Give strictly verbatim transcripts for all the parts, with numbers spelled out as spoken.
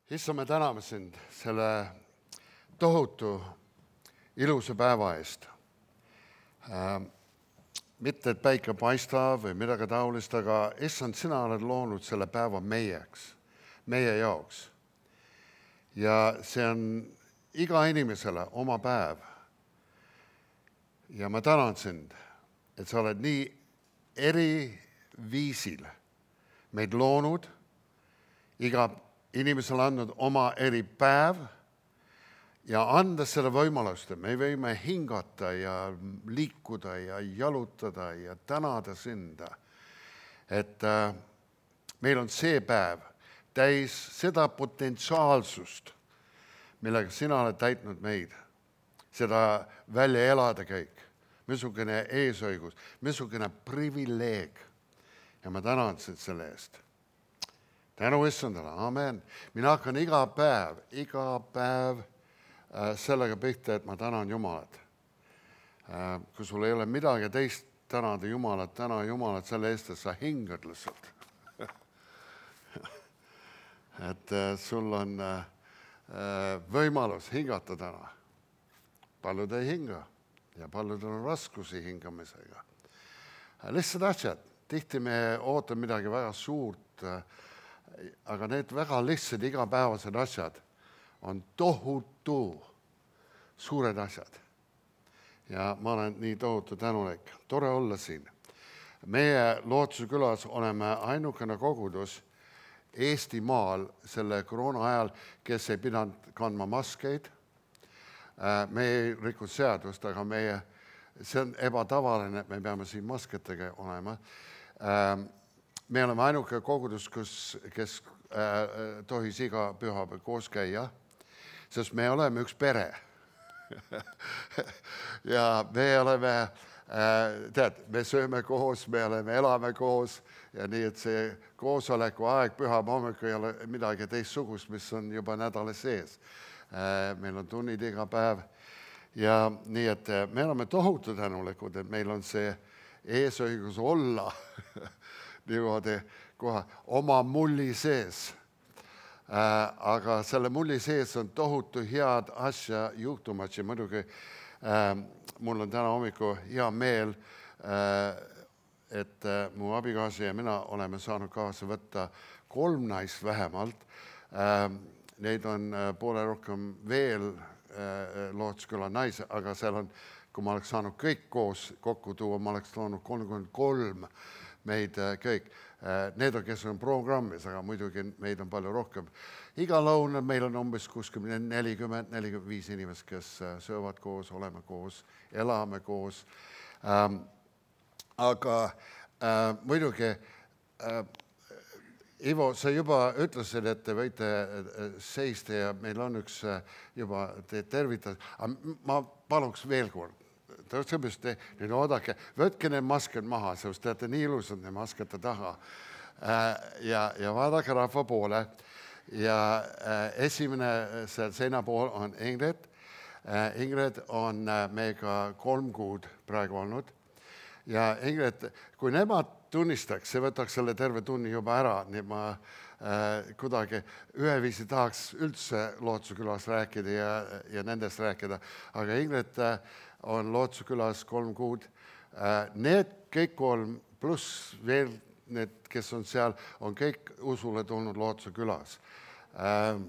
Issa, me täname sind selle tohutu ilusa päeva eest. Äh, mitte, et päike paistab või midagi taolist, aga issand, sina oled loonud selle päeva meieks, meie jaoks. Ja see on iga inimesele oma päev. Ja ma tänan sind, et sa oled nii eri viisil meid loonud, iga inimesele andnud oma eri päev ja anda selle võimalust, et me võime hingata ja liikuda ja jalutada ja tänada sinda. Et äh, meil on see päev täis seda potentsiaalsust, millega sina oled täitnud meid, seda välja elada kõik, missugune eesõigus, missugune privileeg. Ja ma tänan sind selle eest. Tänu issandale, amen. Mina hakkan iga päev, iga päev äh, sellega pihta, et ma tänan Jumalat. Äh, kui sul ei ole midagi teist tänada Jumalat, täna Jumalat selle eest, et sa hingad lihtsalt. et äh, sul on äh, võimalus hingata täna. Paljud ei hinga ja paljudel on raskusi hingamisega. Äh, lihtsad asjad. Tihti me ootame midagi väga suurt, äh, aga need väga lihtsad igapäevased asjad on tohutu suured asjad. Ja ma olen nii tohutu tänulik. Tore olla siin. Meie Lootuse külas oleme ainukene kogudus Eestimaal selle koroona ajal, kes ei pidanud kandma maskeid. Me ei rikud seadust, aga meie, see on ebatavaline, et me peame siin masketega olema. Me oleme ainuke kogudus, kus, kes äh, tohis iga pühapäev koos käia, sest me oleme üks pere. ja me oleme, äh, tead, me sööme koos, me oleme, elame koos ja nii, et see koosoleku aeg pühapäeva hommikul ei ole midagi teistsugust, mis on juba nädala sees. Äh, meil on tunnid iga päev ja nii, et me oleme tohutu tänulikud, et meil on see eesõigus olla niimoodi kohe oma mulli sees. Äh, aga selle mulli sees on tohutu head asja juhtumat ja muidugi äh, mul on täna hommiku hea meel, äh, et äh, mu abikaasa ja mina oleme saanud kaasa võtta kolm naist vähemalt. Äh, neid on äh, poole rohkem veel äh, Lootsküla naise, aga seal on, kui ma oleks saanud kõik koos kokku tuua, ma oleks toonud kolmkümmend kolm meid kõik. Need on, kes on programmis, aga muidugi meid on palju rohkem. Iga lõunal meil on umbes kuuskümmend, nelikümmend, nelikümmend viis inimest, kes söövad koos, oleme koos, elame koos. Ähm, aga äh, muidugi, äh, Ivo, sa juba ütlesid, et te võite seista ja meil on üks juba te tervitad. Ma paluks veel kord. Tõeselt, nüüd oodake, võtke need masked maha, sest te olete nii ilusad need maskete taha. Ja, ja vaadake rahva poole. Ja esimene seina pool on Ingrid. Ingrid on meiega kolm kuud praegu olnud. Ja Ingrid, kui nemad tunnistaks, see võtaks selle terve tunni juba ära, nii ma äh, kuidagi üheviisi tahaks üldse Lootuse külas rääkida ja, ja nendest rääkida. Aga Ingrid äh, on Lootuse külas kolm kuud. Äh, need kõik kolm, pluss veel need, kes on seal, on kõik usule tulnud Lootuse külas. Äh,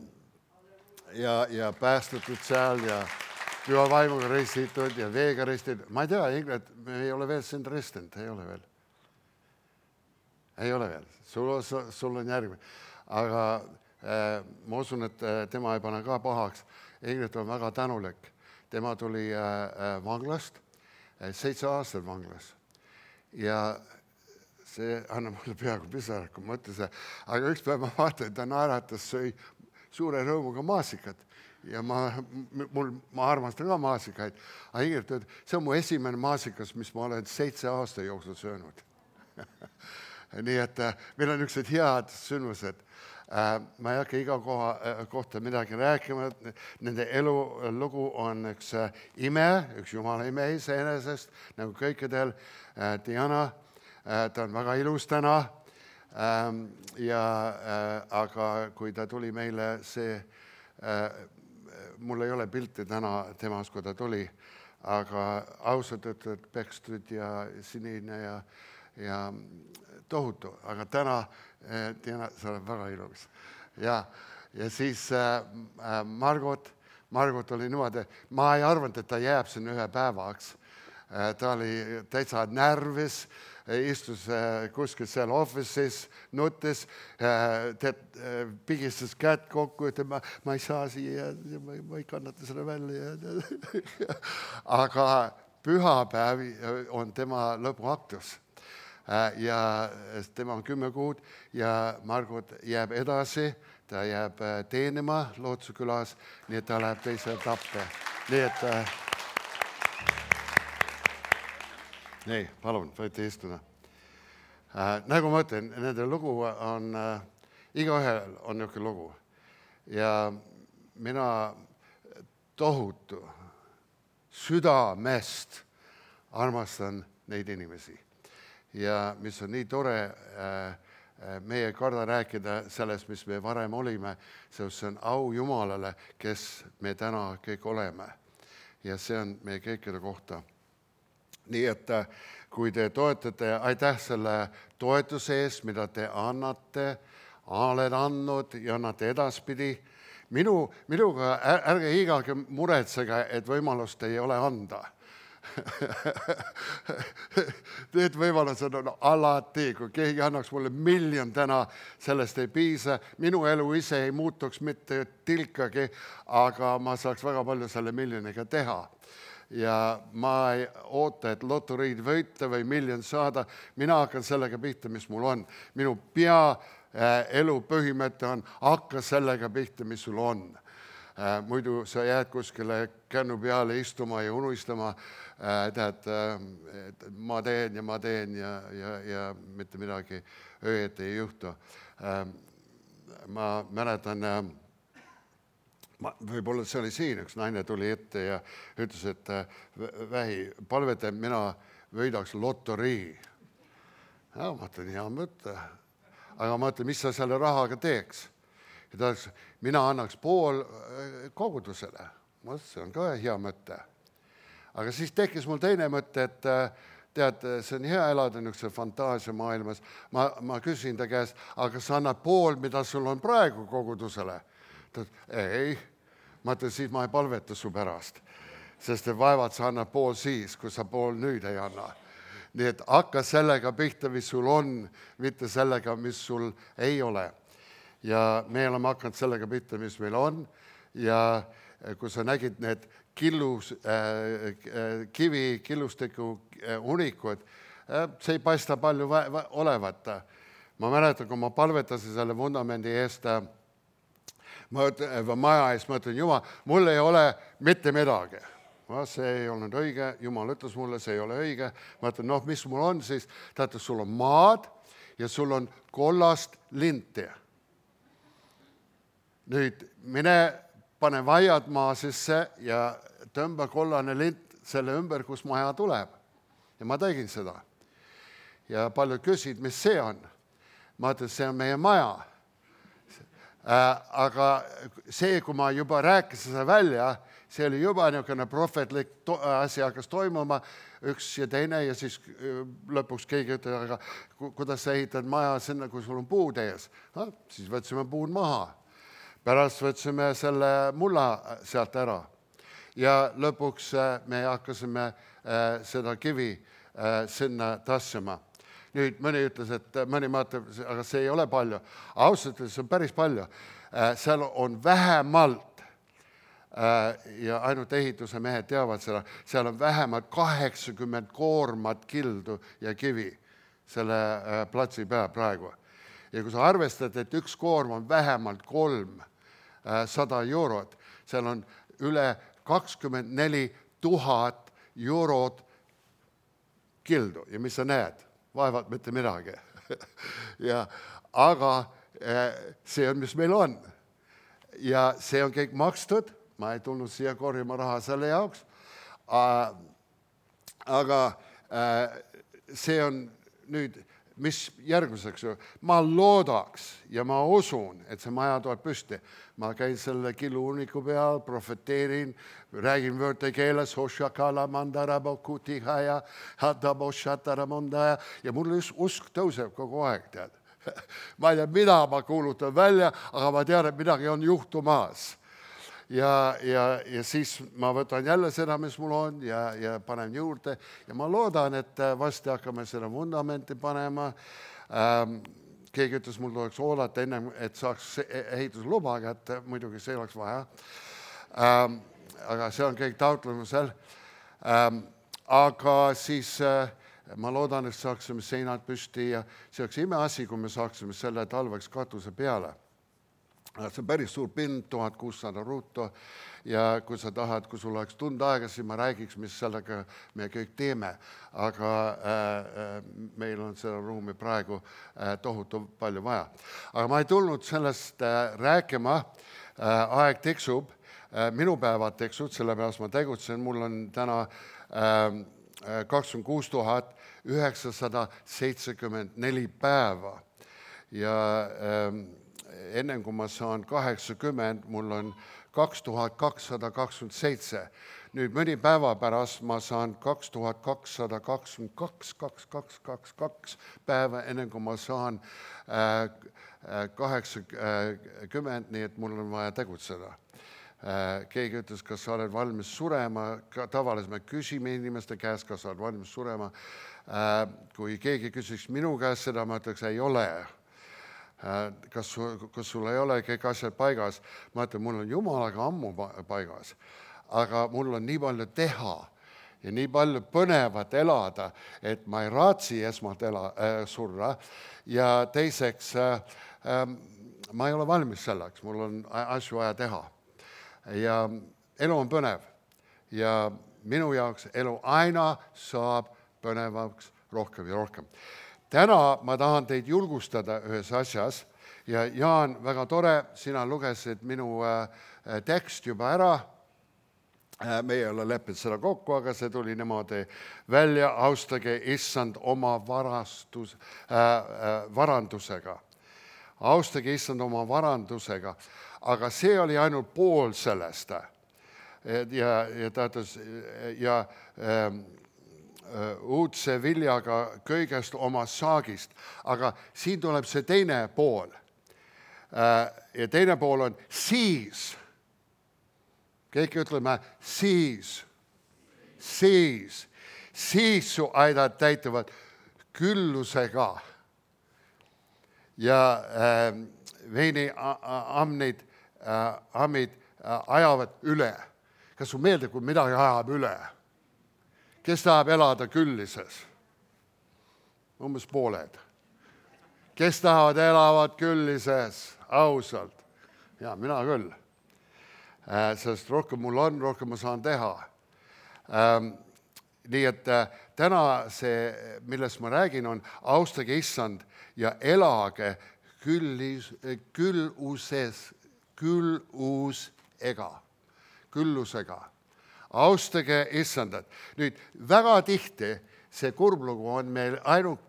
ja, ja päästetud seal ja püha vaimuga ristitud ja veega ristitud. Ma ei tea, Ingrid, me ei ole veel sind ristinud, ei ole veel. Ei ole veel, sul, sul on järgmine. Aga äh, ma usun, et tema ei pane ka pahaks. Ingrid on väga tänulik. Tema tuli äh, vanglast, äh, seitse aastat vanglas. Ja see annab mulle peaaegu pisara, kui ma ütlesin. Aga üks päev ma vaatan, et ta naeratas, sõi suure rõõmuga maasikat. Ja ma, mul, ma armastan ka maasikaid. Aga Ingrid ütleb, see on mu esimene maasikas, mis ma olen seitse aasta jooksul söönud. Nii et meil on üksid head sündmused. Ma ei hakka iga koha, kohta midagi rääkima. Nende elulugu on üks ime, üks Jumala ime iseenesest, nagu kõikidel. Diana, ta on väga ilus täna. ja aga kui ta tuli meile, see, mul ei ole pilti täna temast, kui ta tuli, aga ausalt ütlevad pekstud ja sinine ja, ja tohutu, aga täna, Tiina, sa oled väga ilus. Ja, ja siis Margot, Margot oli niimoodi, ma ei arvanud, et ta jääb sinna ühe päevaks. Ta oli täitsa närvis, istus kuskil seal office'is, nuttes, tead, pigistas kätt kokku, et ma, ma ei saa siia, ma, ma ei kannata seda välja. Aga pühapäev on tema lõpuaktus ja tema on kümme kuud ja Margot jääb edasi, ta jääb teenima Lootuse külas, nii et ta läheb teise etappe. Nii et... Nii, palun, võite istuda. Äh, nagu ma ütlen, nende lugu on, äh, igaühel on niisugune lugu. Ja mina tohutu südamest armastan neid inimesi. Ja mis on nii tore, äh, me ei karda rääkida sellest, mis me varem olime, see on au Jumalale, kes me täna kõik oleme. Ja see on meie kõikide kohta. Nii et kui te toetate, aitäh selle toetuse eest, mida te annate, oled andnud ja annate edaspidi. Minu, minuga ärge iigalgi muretsege, et võimalust ei ole anda. Need võimalused on alati, kui keegi annaks mulle miljon täna, sellest ei piisa. Minu elu ise ei muutuks mitte tilkagi, aga ma saaks väga palju selle miljoniga teha. Ja ma ei oota, et lotoriid võita või miljon saada. Mina hakkan sellega pihta, mis mul on. Minu pea elu põhimõte on, hakka sellega pihta, mis sul on. Muidu sa jääd kuskile kännu peale istuma ja unistama, tead, et ma teen ja ma teen ja, ja, ja mitte midagi õieti ei juhtu. Ma mäletan... Ma, võib-olla see oli siin, üks naine tuli ette ja ütles, et vähi, palvete, mina võidaks lotorii. Ja ma ütlen, hea mõte. Aga ma ütlen, mis sa selle rahaga teeks? Ja ta ütles, mina annaks pool kogudusele. Ma ütlen, see on ka hea mõte. Aga siis tekkis mul teine mõte, et tead, see on hea elada niisuguse fantaasia maailmas. Ma, ma küsin ta käest, aga sa annad pool, mida sul on praegu kogudusele? Ei, ma ütlen, siis ma ei palveta su pärast, sest vaevad sa annad pool siis, kui sa pool nüüd ei anna. Nii et hakka sellega pihta, mis sul on, mitte sellega, mis sul ei ole. Ja me oleme hakanud sellega pihta, mis meil on. Ja kui sa nägid need killus, äh, kivi, killustiku unikud, äh, see ei paista palju olevat. Ma mäletan, kui ma palvetasin selle vundamendi eest, ma ütlen, maja ees, ma ütlen, Jumal, mul ei ole mitte midagi. Ma, see ei olnud õige, Jumal ütles mulle, see ei ole õige. Ma ütlen, noh, mis mul on siis? Ta ütles, sul on maad ja sul on kollast linti. Nüüd mine pane vaiad maa sisse ja tõmba kollane lint selle ümber, kus maja tuleb. Ja ma tegin seda. Ja paljud küsid, mis see on? Ma ütlen, see on meie maja. Aga see, kui ma juba rääkisin seda välja, see oli juba niisugune prohvetlik to- asi hakkas toimuma, üks ja teine ja siis lõpuks keegi ütleb, aga kuidas sa ehitad maja sinna, kui sul on puud ees? Ha, siis võtsime puud maha. Pärast võtsime selle mulla sealt ära ja lõpuks me hakkasime seda kivi sinna tassima. Nüüd mõni ütles, et mõni maatab, aga see ei ole palju. Ausalt, see on päris palju. Seal on vähemalt, ja ainult ehituse mehed teavad seda, seal on vähemalt kaheksakümmend koormat kildu ja kivi selle platsi peal praegu. Ja kui sa arvestad, et üks koorm on vähemalt kolm sada eurot, seal on üle kakskümmend neli tuhat eurot kildu. Ja mis sa näed? Vaevalt mitte midagi. ja, aga see on, mis meil on. Ja see on kõik makstud. Ma ei tulnud siia korjama raha selle jaoks. Aga see on nüüd, mis järgmiseks? Ma loodaks ja ma usun, et see maja tuleb püsti. Ma käin selle killuuniku peal, profeteerin, räägin võõrte keeles, ja mul usk tõuseb kogu aeg, tead. Ma ei tea, mida ma kuulutan välja, aga ma tean, et midagi on juhtumas. Ja, ja, ja siis ma võtan jälle seda, mis mul on ja, ja panen juurde ja ma loodan, et vasti hakkame seda vundamenti panema. Ähm, keegi ütles, mul tuleks oodata ennem, et saaks ehitusluba, et muidugi see oleks vaja. Ähm, aga see on kõik taotlemusel. Ähm, aga siis äh, ma loodan, et saaksime seinad püsti ja see oleks imeasi, kui me saaksime selle talveks katuse peale. See on päris suur pind, tuhat kuussada ruutu ja kui sa tahad, kui sul oleks tund aega, siis ma räägiks, mis sellega me kõik teeme. Aga äh, meil on seda ruumi praegu äh, tohutu palju vaja. Aga ma ei tulnud sellest äh, rääkima, äh, aeg tiksub, äh, minu päevad tiksud, sellepärast ma tegutsen, mul on täna äh, kakskümmend kuus tuhat üheksasada seitsekümmend neli päeva ja äh, enne kui ma saan kaheksakümmend, mul on kaks tuhat kakssada kakskümmend seitse. Nüüd mõni päeva pärast ma saan kaks tuhat kakssada kakskümmend kaks, kaks tuhat kakssada kakskümmend kaks päeva, enne kui ma saan kaheksakümmend, nii et mul on vaja tegutseda. Keegi ütles, kas sa oled valmis surema, tavaliselt me küsime inimeste käest, kas sa oled valmis surema. Kui keegi küsiks minu käest seda, ma ütleks, ei ole. Kas, kas sul ei ole kõik asjad paigas? Ma ütlen, mul on Jumalaga ammu paigas, aga mul on nii palju teha ja nii palju põnevat elada, et ma ei raatsi esmalt ela, äh, surra ja teiseks äh, äh, ma ei ole valmis selleks, mul on asju vaja teha. Ja elu on põnev ja minu jaoks elu aina saab põnevaks rohkem ja rohkem. Täna ma tahan teid julgustada ühes asjas ja Jaan, väga tore, sina lugesid minu tekst juba ära. Me ei ole leppinud seda kokku, aga see tuli niimoodi välja, austage issand oma varastus, äh, varandusega. Austage issand oma varandusega, aga see oli ainult pool sellest. Ja, ja ta ütles, ja äh, uudse viljaga kõigest oma saagist. Aga siin tuleb see teine pool. Ja teine pool on siis. Keegi ütleme siis. Siis. Siis su aidad täituvad küllusega. Ja äh, veini amnid, äh, amid äh, ajavad üle. Kas su meeldib, kui midagi ajab üle? Kes tahab elada küllises? Umbes pooled. Kes tahavad elavad küllises? Ausalt. Ja, mina küll. Äh, sest rohkem mul on, rohkem ma saan teha. Ähm, nii et äh, täna see, millest ma räägin, on austage issand ja elage küllis, külluses, küllusega. Küllusega. Austage issandat. Nüüd, väga tihti see kurblugu on meil ainult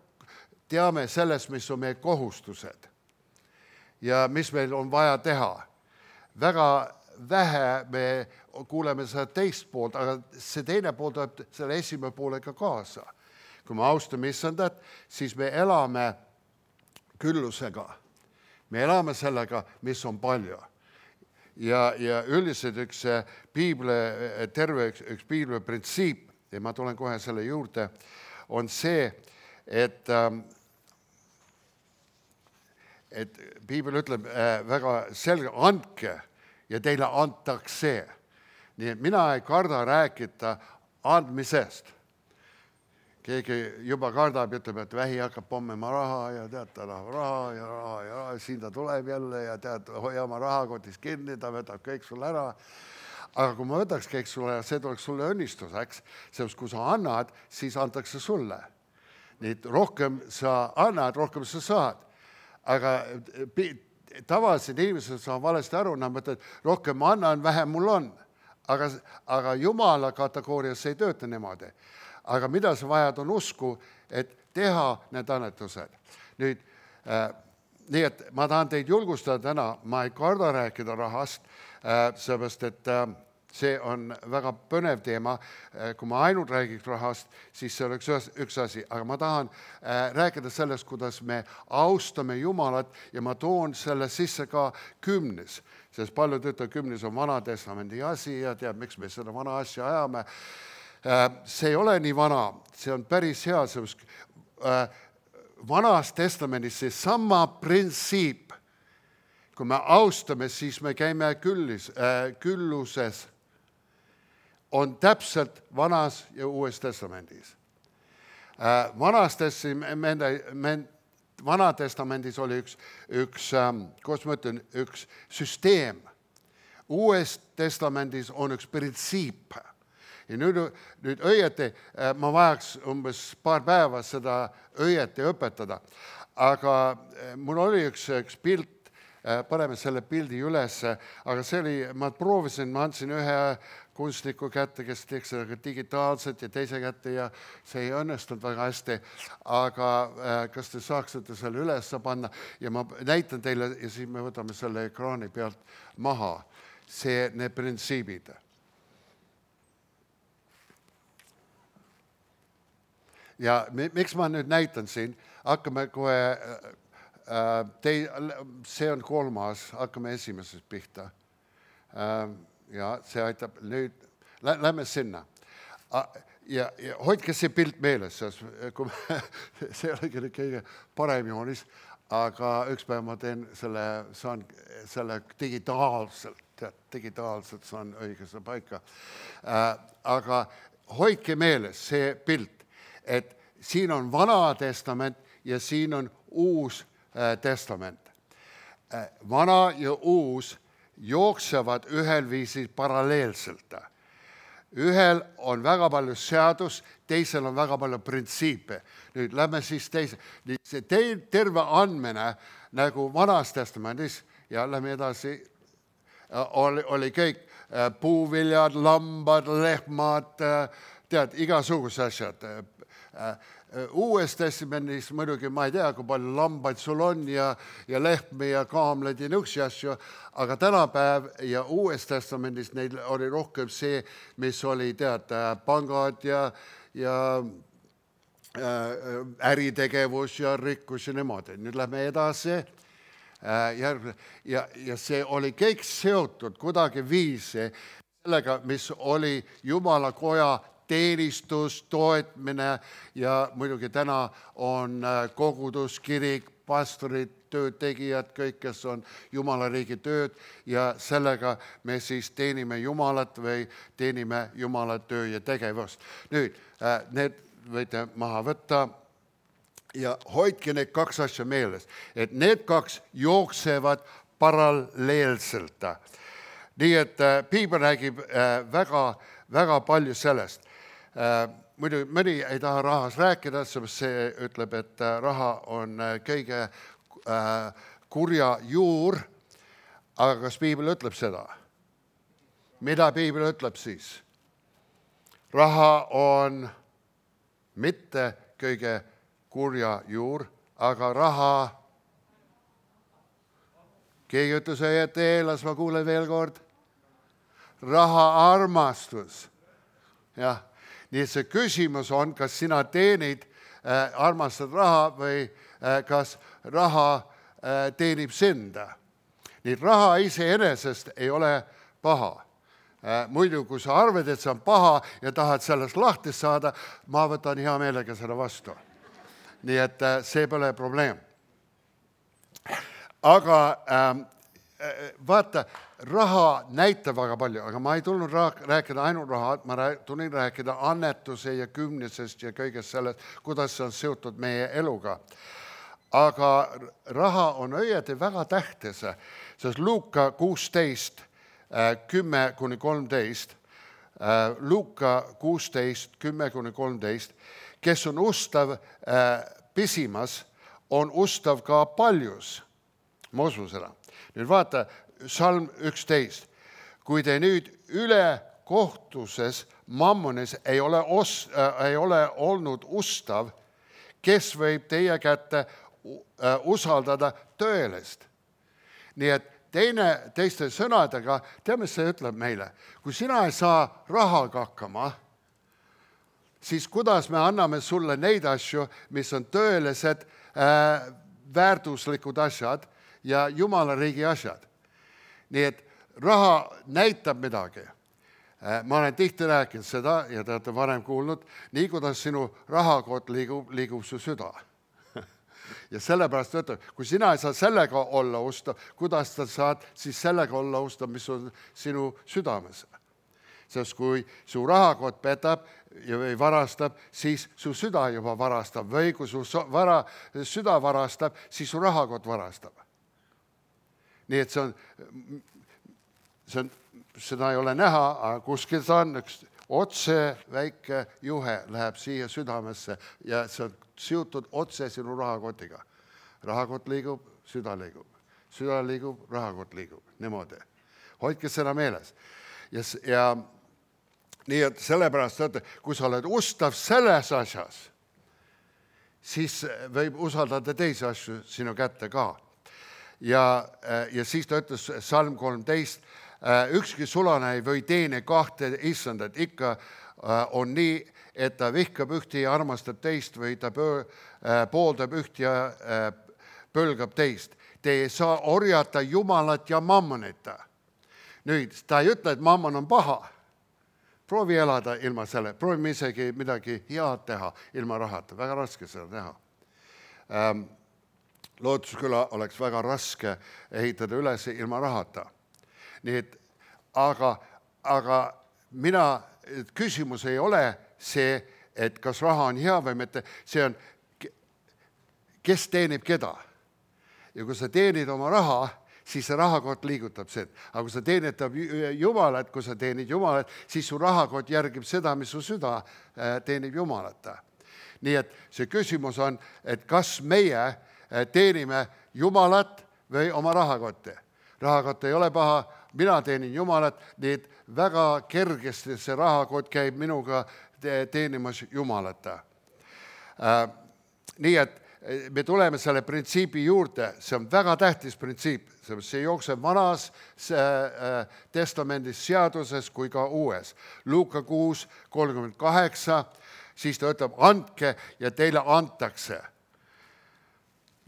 teame sellest, mis on meie kohustused ja mis meil on vaja teha. Väga vähe me kuuleme seda teist poolt, aga see teine pool tuleb selle esimene poolega kaasa. Kui me austame issandat, siis me elame küllusega. Me elame sellega, mis on palju. Ja, ja üldiselt üks piibli, terve üks, üks piibli printsiip, ja ma tulen kohe selle juurde, on see, et, et piibel ütleb väga selge, andke ja teile antakse. Nii et mina ei karda rääkida andmisest. Keegi juba kardab ja ütleb, et vähi hakkab pommima raha ja tead, ta tahab raha ja raha ja raha, siin ta tuleb jälle ja tead, hoia oma rahakotis kinni, ta võtab kõik sulle ära. Aga kui ma võtaks kõik sulle, see tuleks sulle õnnistuseks, sest kui sa annad, siis antakse sulle. Nii rohkem sa annad, rohkem sa saad. Aga tavalised inimesed saavad valesti aru, nad mõtlevad, rohkem ma annan, vähem mul on. Aga, aga Jumala kategoorias ei tööta niimoodi. aga mida sa vajad, on usku, et teha need annetused. Nüüd, äh, nii et ma tahan teid julgustada täna, ma ei karda rääkida rahast, äh, seepärast, et äh, see on väga põnev teema. Kui ma ainult räägiks rahast, siis see oleks üks asi, aga ma tahan äh, rääkida sellest, kuidas me austame Jumalat ja ma toon selle sisse ka kümnes, sest paljud ütlevad, kümnes on Vana Testamendi asi ja tead, miks me seda vana asja ajame. Äh, see ei ole nii vana, see on päris hea, sest äh, Vanas Testamendis see sama printsiip, kui me austame, siis me käime küllis, äh, külluses, on täpselt Vanas ja Uues Testamendis. Äh, vanas testamendis, Vana Testamendis oli üks, üks ähm, kuidas ma ütlen, üks süsteem. Uues Testamendis on üks printsiip. Ja nüüd, nüüd õieti, äh, ma vajaks umbes paar päeva seda õieti õpetada, aga äh, mul oli üks, üks pilt, paneme selle pildi üles, aga see oli, ma proovisin, ma andsin ühe kunstniku kätte, kes teeks seda digitaalselt ja teise kätte ja see ei õnnestunud väga hästi, aga kas te saaksite selle üles panna ja ma näitan teile ja siis me võtame selle ekraani pealt maha, see, need printsiibid. Ja miks ma nüüd näitan siin, hakkame kohe Tei, see on kolmas, hakkame esimesest pihta. Ja see aitab nüüd, lähme sinna. Ja, ja hoidke see pilt meeles, kui me, see oli kõige parem joonis, aga üks päev ma teen selle, saan selle digitaalselt, digitaalselt saan õigesse paika. Aga hoidke meeles see pilt, et siin on Vana Testament ja siin on Uus Testament. Vana ja uus jooksevad ühel viisil paralleelselt. Ühel on väga palju seadus, teisel on väga palju printsiipe. Nüüd lähme siis teise. See terve andmine nagu Vanas Testamendis ja lähme edasi, oli, oli kõik puuviljad, lambad, lehmad, tead, igasugused asjad. Uues Testamendis muidugi ma ei tea, kui palju lambaid sul on ja, ja lehmi ja kaamleid ja nõuksi asju, aga tänapäev ja Uues Testamendis neil oli rohkem see, mis oli tead, pangad ja, ja äh, äritegevus ja rikkus ja niimoodi. Nüüd lähme edasi äh, järgmine. Ja, ja see oli kõik seotud kuidagi viisi sellega, mis oli Jumala koja teenistus, toetmine ja muidugi täna on kogudus, kirik, pastorid, töötegijad, kõik, kes on Jumala riigi tööd ja sellega me siis teenime Jumalat või teenime Jumala töö ja tegevust. Nüüd, need võite maha võtta ja hoidke need kaks asja meeles, et need kaks jooksevad paralleelselt. Nii et Piibel räägib väga, väga palju sellest. Muidu mõni ei taha rahas rääkida, sest see ütleb, et raha on kõige kurja juur, aga kas Piibel ütleb seda? Mida Piibel ütleb siis? Raha on mitte kõige kurja juur, aga raha, keegi ütles, et eelas, ma kuulen veel kord, raha armastus. Jah. Nii et see küsimus on, kas sina teenid, äh, armastad raha või äh, kas raha äh, teenib sind. Nii et raha iseenesest ei ole paha. Äh, muidu, kui sa arvad, et see on paha ja tahad sellest lahti saada, ma võtan hea meelega seda vastu. Nii et äh, see pole probleem. Aga äh, vaata, raha näitab väga palju, aga ma ei tulnud rääkida ainult raha, ma tulin rääkida annetuse ja kümnesest ja kõigest sellest, kuidas see on seotud meie eluga. Aga raha on õieti väga tähtis, sest Luuka kuusteist, kümme kuni kolmteist, Luuka kuusteist, kümme kuni kolmteist, kes on ustav pisimas, on ustav ka paljus. Ma usun seda. Nüüd vaata, salm üksteist. Kui te nüüd üle kohtuses mammonis ei ole, os, äh, ei ole olnud ustav, kes võib teie kätte äh, usaldada tõelist. Nii et teine, teiste sõnadega, tead, mis see ütleb meile? Kui sina ei saa rahaga hakkama, siis kuidas me anname sulle neid asju, mis on tõelised äh, väärtuslikud asjad ja Jumala riigi asjad. Nii et raha näitab midagi. Äh, ma olen tihti rääkinud seda ja te olete varem kuulnud, nii kuidas sinu rahakott liigub, liigub su süda. Ja sellepärast ütleb, kui sina ei saa sellega olla ustav, kuidas sa saad siis sellega olla ustav, mis on sinu südames. Sest kui su rahakott petab või varastab, siis su süda juba varastab. Või kui su vara, süda varastab, siis su rahakott varastab. Nii et see on, see on, seda ei ole näha, aga kuskil ta on üks otse väike juhe läheb siia südamesse ja see on siutud otse sinu rahakotiga. Rahakott liigub, süda liigub. Süda liigub, rahakott liigub. Niimoodi. Hoidke seda meeles. Ja, ja nii et sellepärast, et kui sa oled ustav selles asjas, siis võib usaldada teisi asju sinu kätte ka. Ja, ja siis ta ütles salm kolmteist, ükski sulane ei või teene kahte issandat, ikka on nii, et ta vihkab ühti ja armastab teist või ta pooldab ühti ja pölgab teist. Te ei saa orjata Jumalat ja mammonita. Nüüd, ta ei ütle, et mammon on paha. Proovi elada ilma selle, proovime isegi midagi head teha ilma rahata. Väga raske seda teha. Ähm, Lootusküla oleks väga raske ehitada üles ilma rahata. Nii et, aga, aga mina, küsimus ei ole see, et kas raha on hea või mitte, see on, kes teenib keda. Ja kui sa teenid oma raha, siis see rahakott liigutab seda. Aga kui sa teenetab Jumalat, kui sa teenid Jumalat, siis su rahakott järgib seda, mis su süda teenib Jumalata. Nii et see küsimus on, et kas meie teenime Jumalat või oma rahakotti. Rahakott ei ole paha, mina teenin Jumalat, nii et väga kergesti see rahakott käib minuga teenimas Jumalata. Nii et me tuleme selle printsiibi juurde, see on väga tähtis printsiip, see jookseb vanas testamendis seaduses kui ka uues. Luuka kuus kolmkümmend kaheksa, siis ta ütleb, andke ja teile antakse.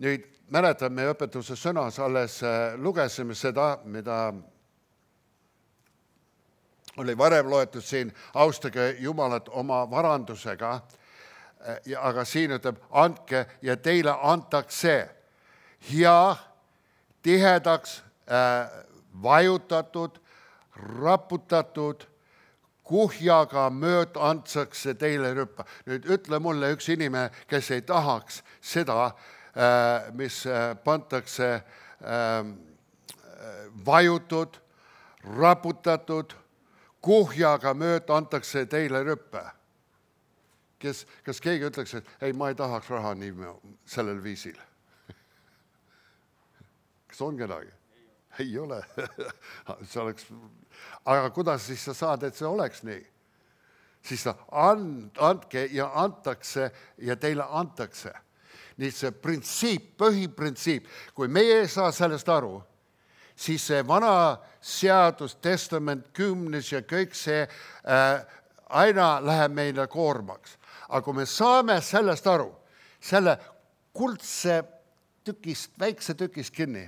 Nüüd mäletan, me õpetuse sõnas alles lugesime seda, mida oli varem loetud siin, austage Jumalat oma varandusega, aga siin ütleb, andke ja teile antakse hea, tihedaks, äh, vajutatud, raputatud, kuhjaga mööd antakse teile rüppa. Nüüd ütle mulle üks inimene, kes ei tahaks seda, äh, mis äh, pantakse äh, vajutud, raputatud, kuhjaga mööd antakse teile rüppa. Kes, kas keegi ütleks, et ei, ma ei tahaks raha nii sellel viisil? Kas on kedagi? Ei ole. See oleks... Aga kuidas siis sa saad, et see oleks nii? Siis ta and, andke ja antakse ja teile antakse. Nii see printsiip, põhiprintsiip, kui meie ei saa sellest aru, siis see vana seadus, testament, kümnes ja kõik see äh, aina läheb meile koormaks. Aga kui me saame sellest aru, selle kuldse tükist, väikse tükist kinni,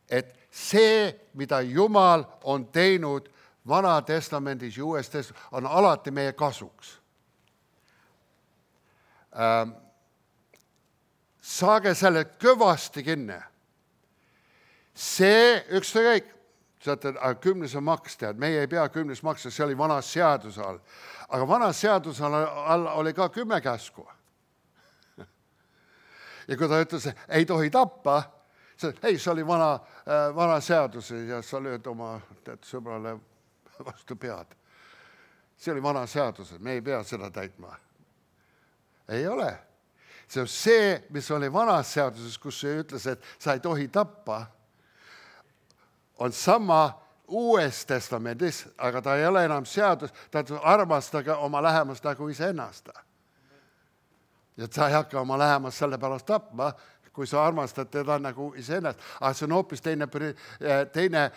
et see, mida Jumal on teinud vana testamendis ja uues testamendis, on alati meie kasuks. Ähm, saage selle kõvasti kinni. See ükskõik, saate, aga kümnes on maks, tead, meie ei pea kümnes maksa, see oli vana seaduse all. Aga vana seaduse all oli ka kümme käsku. Ja kui ta ütles, ei tohi tappa, see, ei, see oli vana, vana seadus ja sa lööd oma tead, sõbrale vastu pead. See oli vana seadus, me ei pea seda täitma. Ei ole. See on see, mis oli vanas seaduses, kus see ütles, et sa ei tohi tappa, on sama uues testamendis, aga ta ei ole enam seadus, ta ütleb, armastage oma lähemast nagu iseennast. Ja sa ei hakka oma lähemast selle pärast tapma, kui sa armastad teda nagu iseennast. Aga see on hoopis teine, teine,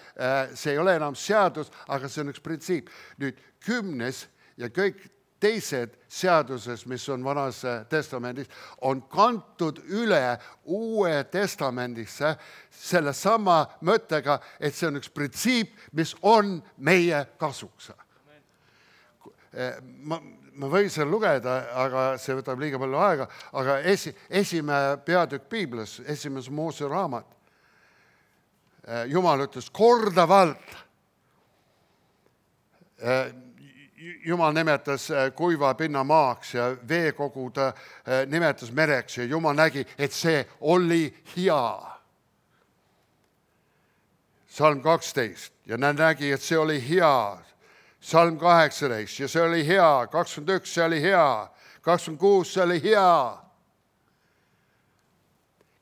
see ei ole enam seadus, aga see on üks printsiip. Nüüd kümnes ja kõik teised seaduses, mis on vanas testamendis, on kantud üle uue testamendisse selle sama mõttega, et see on üks printsiip, mis on meie kasuks. Ma, ma võin seal lugeda, aga see võtab liiga palju aega, aga esi, esimene peatükk Piiblis, esimese Moose raamat, Jumal ütles kordavalt, Jumal nimetas kuiva pinna maaks ja veekogud nimetas mereks ja Jumal nägi, et see oli hea. Salm kaksteist ja nägi, et see oli hea. Salm kaheksateist ja see oli hea. kakskümmend üks, see oli hea. kakskümmend kuus, see oli hea.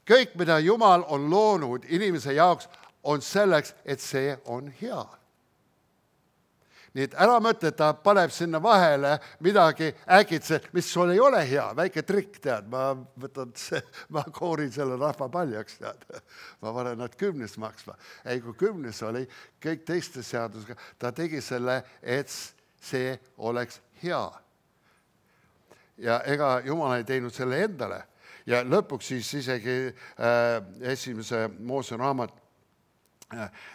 Kõik, mida Jumal on loonud inimese jaoks, on selleks, et see on hea. Nii et ära mõtle, et ta paneb sinna vahele midagi äkitselt, mis sul ei ole hea, väike trikk, tead, ma võtan, ma koorin selle rahva paljaks, tead, ma panen nad kümnest maksma. Ei, kui kümnes oli kõik teiste seadusega, ta tegi selle, et see oleks hea. Ja ega Jumal ei teinud selle endale. Ja lõpuks siis isegi äh, esimese Moose raamat,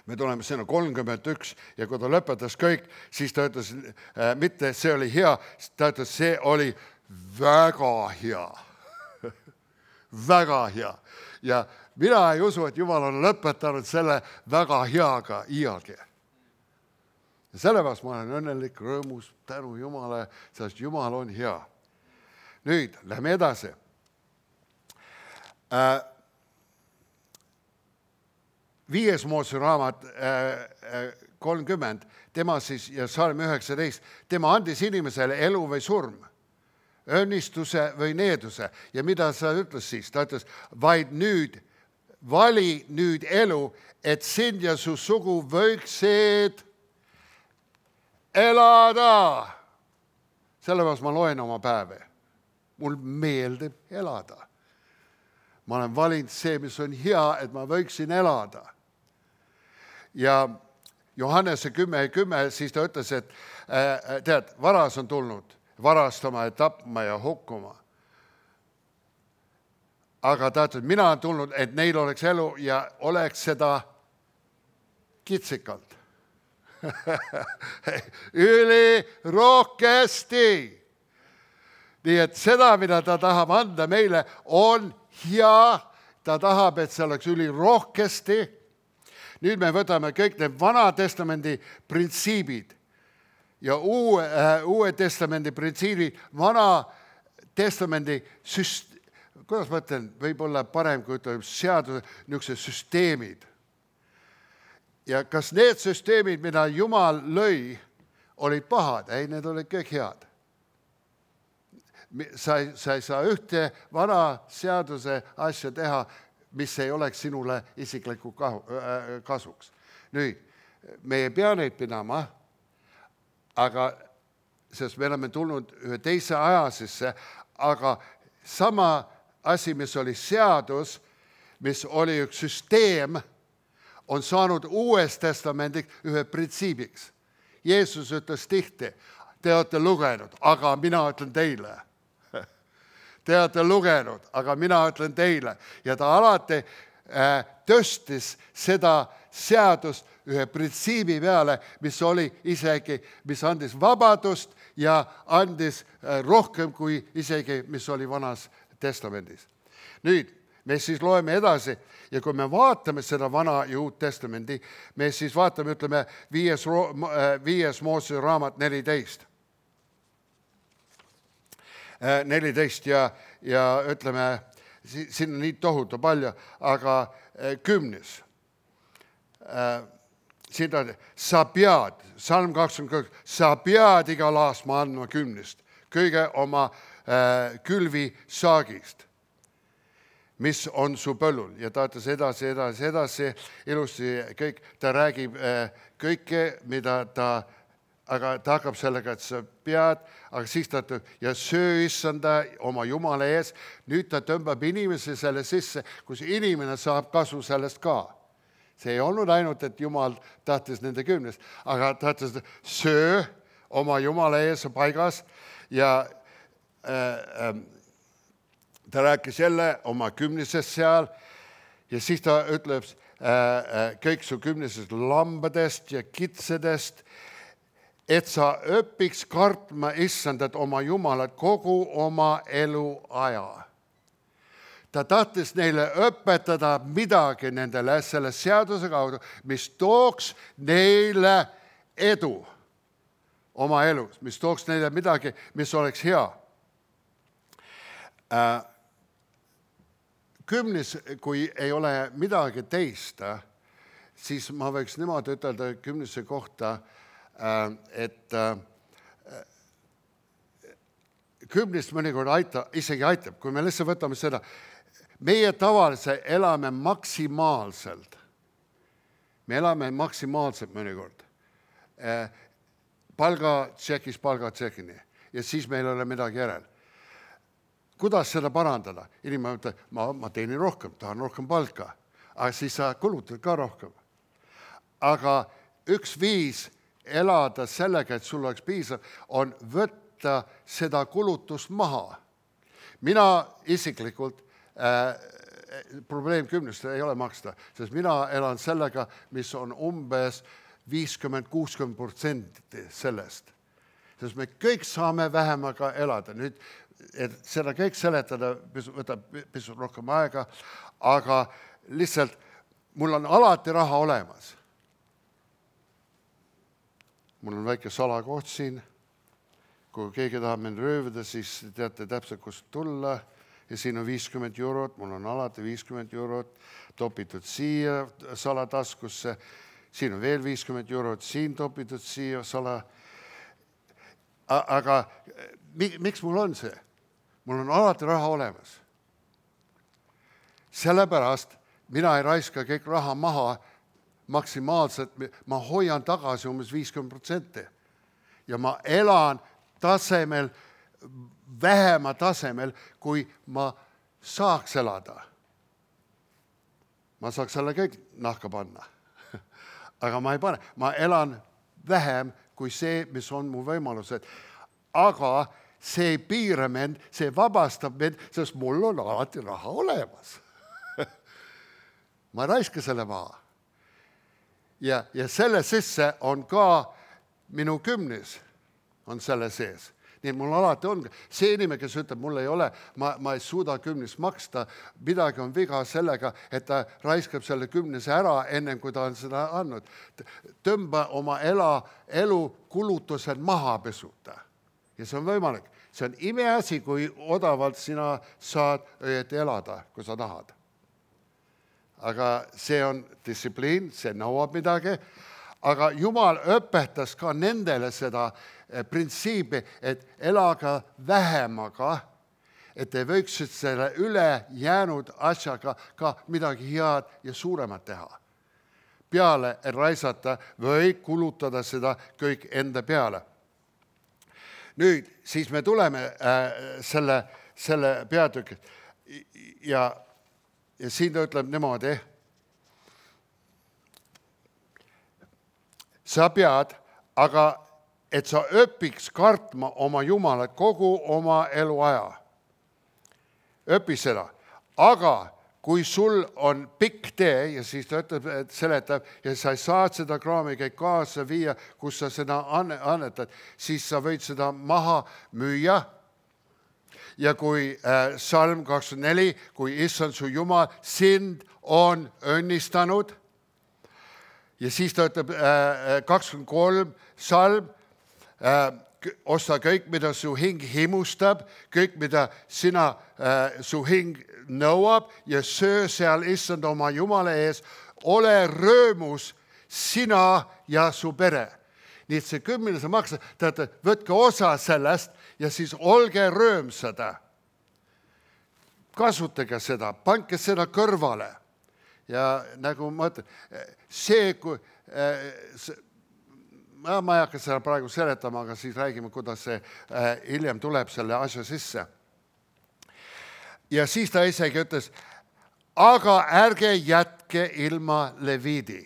me tuleme sinna kolmkümmend üks ja kui ta lõpetas kõik, siis ta ütles, äh, mitte see oli hea, ta ütles, see oli väga hea. Väga hea. Ja mina ei usu, et Jumal on lõpetanud selle väga heaga iialgi. Ja sellepärast ma olen õnnelik, rõõmus, tänu Jumale, sest Jumal on hea. Nüüd, lähme edasi. Äh, Viies Moose raamat kolmkümmend, tema siis ja salm üheksateist, tema andis inimesele elu või surm, õnnistuse või needuse. Ja mida sa ütles siis? Ta ütles, vaid nüüd, vali nüüd elu, et sind ja su sugu võiksid elada. Sellepärast ma loen oma päeve. Mul meeldib elada. Ma olen valinud see, mis on hea, et ma võiksin elada. Ja Johannese kümme ja kümme, siis ta ütles, et äh, tead, varas on tulnud varastama ja tapma ja hukkuma. Aga ta ütles, mina olen tulnud, et neil oleks elu ja oleks seda kitsikalt. Üli rohkesti. Nii et seda, mida ta tahab anda meile, on hea. Ta tahab, et see oleks üli rohkesti. Nüüd me võtame kõik need vana testamendi printsiibid ja uue, äh, uue testamendi printsiibid, vana testamendi süst-, kuidas ma ütlen, võib-olla parem, kui ütleb seaduse, niisugused süsteemid. Ja kas need süsteemid, mida Jumal lõi, olid pahad? Ei, need olid kõik head. Sa ei, sa ei saa ühte vana seaduse asja teha, mis ei oleks sinule isikliku kasuks. Nüüd, me ei pea neid pidama, aga sest me oleme tulnud ühe teise aja sisse, aga sama asi, mis oli seadus, mis oli üks süsteem, on saanud uues testamendis ühe printsiibiks. Jeesus ütles tihti, te olete lugenud, aga mina ütlen teile. Te olete lugenud, aga mina ütlen teile. Ja ta alati äh, tõstis seda seadust ühe printsiibi peale, mis oli isegi, mis andis vabadust ja andis äh, rohkem kui isegi, mis oli vanas testamendis. Nüüd, me siis loeme edasi ja kui me vaatame seda vana ja uut testamendi, me siis vaatame, ütleme, viies, viies Moose raamat neliteist. neliteist ja, ja ütleme, siin on nii tohutu palju, aga kümnes. Siin ta, sa pead, salm kakskümmend kaks, sa pead igal aastma andma kümnest, kõige oma külvi saagist. mis on su põllul ja ta ütles edasi, edasi, edasi, ilusti kõik, ta räägib kõike, mida ta, aga ta hakkab sellega, et sa pead, aga siis ta ütleb, ja söö issanda oma Jumala ees, nüüd ta tõmbab inimese selle sisse, kus inimene saab kasu sellest ka. See ei olnud ainult, et Jumal tahtis nende kümnest, aga ta ütles, söö oma Jumala ees paigas ja äh, äh, ta rääkis jälle oma kümnisest seal ja siis ta ütleb äh, kõik su kümnisest lambadest ja kitsedest, et sa õpiks kartma issandat oma Jumalat kogu oma eluaja. Ta tahtis neile õpetada midagi nendele selle seaduse kaudu, mis tooks neile edu oma elus, mis tooks neile midagi, mis oleks hea. Äh, Kümnis, kui ei ole midagi teist, siis ma võiks niimoodi ütelda kümnise kohta, et kümnist mõnikord aita, isegi aitab, kui me lihtsalt võtame seda, meie tavaliselt elame maksimaalselt. Me elame maksimaalselt mõnikord. Palga tšekis, palga tšekini ja siis meil ei ole midagi järel. Kuidas seda parandada? Inimene ütleb, ma, ma teenin rohkem, tahan rohkem palka, aga siis sa kulutad ka rohkem. Aga üks viis elada sellega, et sul oleks piisav, on võtta seda kulutust maha. Mina isiklikult, äh, probleem kümnest ei ole maksta, sest mina elan sellega, mis on umbes viiskümmend kuuskümmend protsenti sellest. Sest me kõik saame vähemaga elada. Nüüd et seda kõik seletada võtab pisut rohkem aega, aga lihtsalt mul on alati raha olemas. Mul on väike salakoht siin. Kui keegi tahab mind röövida, siis teate täpselt, kust tulla. Ja siin on viiskümmend eurot, mul on alati viiskümmend eurot topitud siia salataskusse. Siin on veel viiskümmend eurot, siin topitud siia sala. Aga miks mul on see? Mul on alati raha olemas. Sellepärast mina ei raiska kõik raha maha maksimaalselt, ma hoian tagasi umbes viiskümmend protsenti. Ja ma elan tasemel, vähema tasemel, kui ma saaks elada. Ma saaks selle kõik nahka panna. Aga ma ei pane. Ma elan vähem kui see, mis on mu võimalused. Aga see ei piira mind, see vabastab mind, sest mul on alati raha olemas. Ma raiska selle maha. Ja, ja selle sisse on ka minu kümnis on selle sees. Nii et mul alati on. See inimene, kes ütleb, mul ei ole, ma, ma ei suuda kümnist maksta, midagi on viga sellega, et ta raiskab selle kümnise ära enne, kui ta on seda andnud. Tõmba oma ela, elu kulutused maha pesuta. Ja see on võimalik. See on imeasi, kui odavalt sina saad õieti elada, kui sa tahad. Aga see on distsipliin, see nõuab midagi. Aga Jumal õpetas ka nendele seda printsiipi, et elaga vähemaga, et te võiksid selle üle jäänud asjaga ka midagi head ja suuremat teha. Peale raisata või kulutada seda kõik enda peale. Nüüd, siis me tuleme äh, selle, selle peatüki ja, ja siin ta ütleb niimoodi, sa pead, aga et sa õpiks kartma oma Jumalat kogu oma eluaja. Õpi seda. Aga kui sul on pikk tee, ja siis ta ütleb, et seletab, ja sa saad seda kraami kõik kaasa viia, kus sa seda annetad, siis sa võid seda maha müüa. Ja kui äh, salm kakskümmend neli, kui issand su Jumal sind on õnnistanud, ja siis ta ütleb äh, kakskümmend kolm salm, äh, osta kõik, mida su hing himustab, kõik, mida sina, äh, su hing nõuab ja söö seal issand oma Jumala ees, ole röömus sina ja su pere. Nii et see kümne sa maksad, teate, võtke osa sellest ja siis olge röömsada. kasutage seda, panke seda kõrvale. Ja nagu ma ütlen, see, kui, see ma ei hakka seda praegu seletama, aga siis räägime, kuidas see hiljem tuleb selle asja sisse. Ja siis ta isegi ütles, aga ärge jätke ilma leviidi.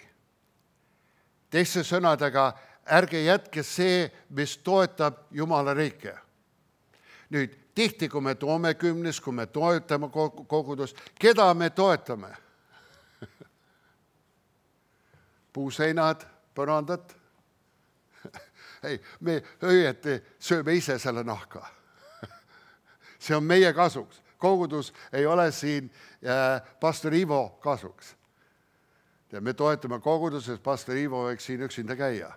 Teiste sõnadega, ärge jätke see, mis toetab Jumala riike. Nüüd, tihti, kui me toome kümnes, kui me toetame kogudust, keda me toetame? Puuseinad, põrandad? Ei, me õieti sööme ise selle nahka. See on meie kasuks. Kogudus ei ole siin pastor Ivo kasuks. Ja me toetame koguduses, pastor Ivo võiks siin üksinda käia.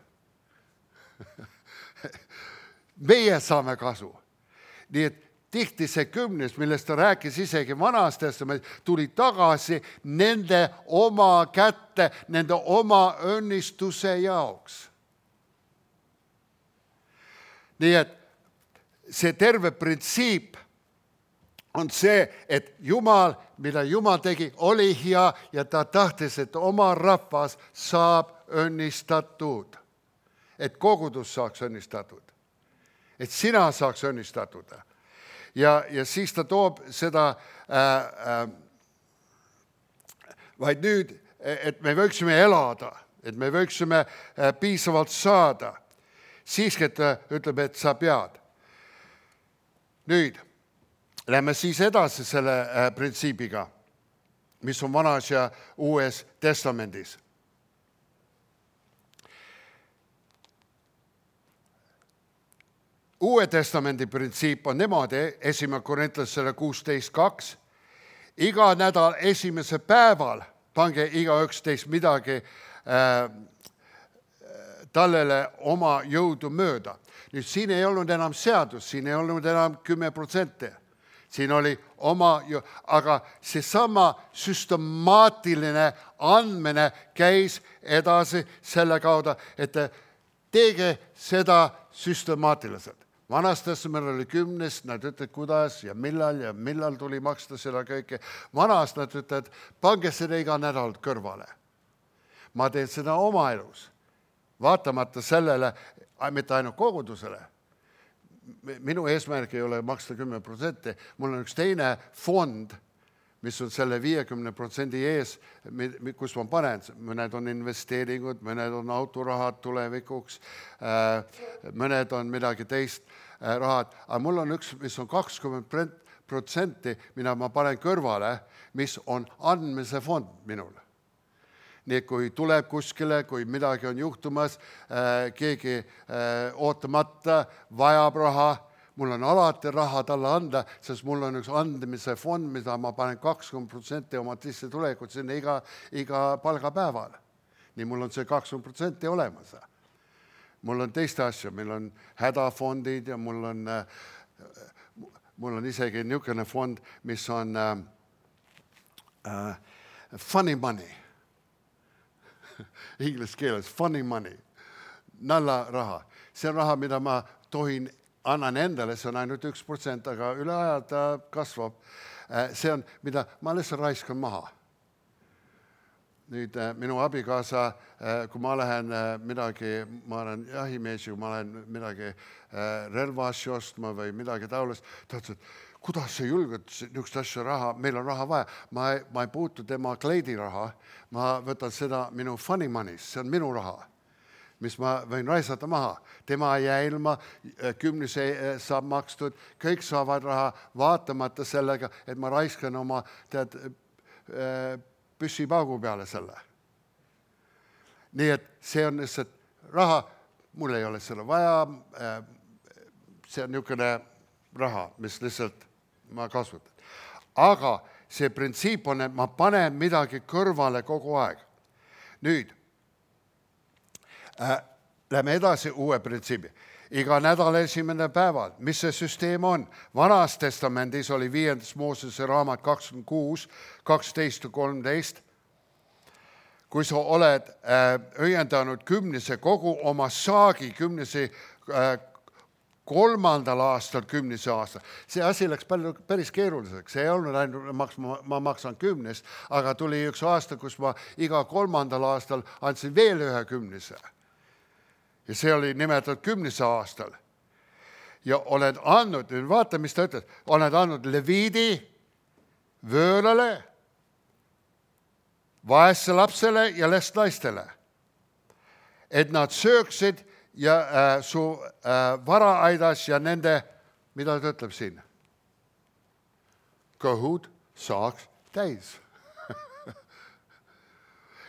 Meie saame kasu. Nii et tihti see kümnes, millest ta rääkis isegi Vanas Testamendis, tuli tagasi nende oma kätte, nende oma õnnistuse jaoks. Nii et see terve printsiip on see, et Jumal, mida Jumal tegi, oli hea ja ta tahtis, et oma rahvas saab õnnistatud. Et kogudus saaks õnnistatud. Et sina saaks õnnistatud. Ja, ja siis ta toob seda äh, äh, vaid nüüd, et me võiksime elada, et me võiksime äh, piisavalt saada. Siiski, et ta ütleb, et sa pead. Nüüd, lähme siis edasi selle äh, printsiibiga, mis on Vanas ja Uues Testamendis. Uue Testamendi printsiip on niimoodi, esimene Korintlasele kuusteist kaks, iga nädal esimese päeval pange iga üksteist midagi äh, tallele oma jõudu mööda. Nüüd siin ei olnud enam seadus, siin ei olnud enam kümme protsenti. Siin oli oma, aga seesama süstemaatiline andmine käis edasi selle kaudu, et teege seda süstemaatiliselt. Vanas Testamendis oli kümnes, nad ütlevad, kuidas ja millal ja millal tuli maksta seda kõike. Vanas nad ütlevad, pange seda iga nädal kõrvale. Ma teen seda oma elus. Vaatamata sellele, mitte ainult kogudusele. Minu eesmärk ei ole maksta kümme protsenti. Mul on üks teine fond, mis on selle viiekümne protsendi ees, kus ma panen. Mõned on investeeringud, mõned on autorahad tulevikuks, mõned on midagi teist rahad. Aga mul on üks, mis on kakskümmend protsenti, mida ma panen kõrvale, mis on andmise fond minul. Nii et kui tuleb kuskile, kui midagi on juhtumas, keegi ootamata vajab raha, mul on alati raha talle anda, sest mul on üks andmise fond, mida ma panen kakskümmend protsenti oma sissetulekut sinna iga, iga palgapäeval. Nii mul on see kakskümmend protsenti olemas. Mul on teiste asja, meil on hädafondid ja mul on, mul on isegi niisugune fond, mis on uh, funny money. Inglis keeles, funny money, nalla raha. See on raha, mida ma tohin, annan endale, see on ainult üks protsent, aga üle aja ta kasvab. See on, mida ma lihtsalt raiskan maha. Nüüd minu abikaasa, kui ma lähen midagi, ma olen jahimees, kui ma lähen midagi relvaasju ostma või midagi taolist, ta ütles, et kuidas sa julged niisugust asja raha, meil on raha vaja. Ma ei, ma ei puutu tema kleidiraha, ma võtan seda minu funny money's, see on minu raha, mis ma võin raisata maha. Tema ei jää ilma, kümnes saab makstud, kõik saavad raha, vaatamata sellega, et ma raiskan oma tead, püssipaugu peale selle. Nii et see on lihtsalt raha, mul ei ole seda vaja, see on niisugune raha, mis lihtsalt ma kasutan. Aga see printsiip on, et ma panen midagi kõrvale kogu aeg. Nüüd, äh, lähme edasi uue printsiibi. Iga nädal esimene päeval, mis see süsteem on? Vanas Testamendis oli viiendas Moosese raamat kakskümmend kuus, kaksteist ja kolmteist. Kui sa oled äh, õiendanud kümnese kogu oma saagi, kümnese äh, kolmandal aastal kümnise aasta. See asi läks palju, päris keeruliseks. See ei olnud ainult, maks, ma, ma maksan kümnest, aga tuli üks aasta, kus ma iga kolmandal aastal andsin veel ühe kümnise. Ja see oli nimetatud kümnise aastal. Ja oled andnud, vaata, mis ta ütleb, oled andnud leviidi, vöörale, vaesse lapsele ja lestnaistele, et nad sööksid ja äh, su äh, varaaidas ja nende, mida ta ütleb siin? Kõhud saaks täis.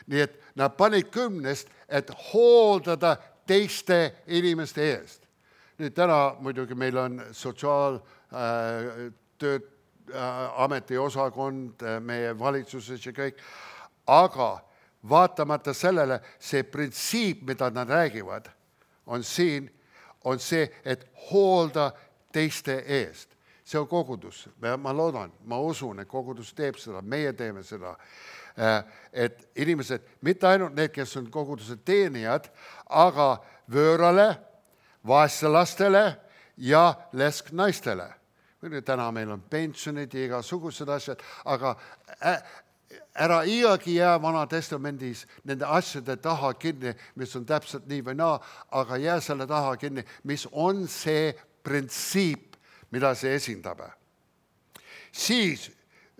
Nii et nad panid kümnest, et hooldada teiste inimeste eest. Nüüd täna muidugi meil on sotsiaaltööd äh, ametiosakond äh, meie valitsuses ja kõik, aga vaatamata sellele see printsiip, mida nad räägivad, on siin, on see, et hoolda teiste eest. See on kogudus. Ma loodan, ma usun, et kogudus teeb seda, meie teeme seda. Et inimesed, mitte ainult need, kes on koguduse teenijad, aga vöörale, vaesse lastele ja lesknaistele. Täna meil on pensionid ja igasugused asjad, aga ära iiagi jää Vana Testamendis nende asjade taha kinni, mis on täpselt nii või naa, aga jää selle taha kinni, mis on see printsiip, mida see esindab. Siis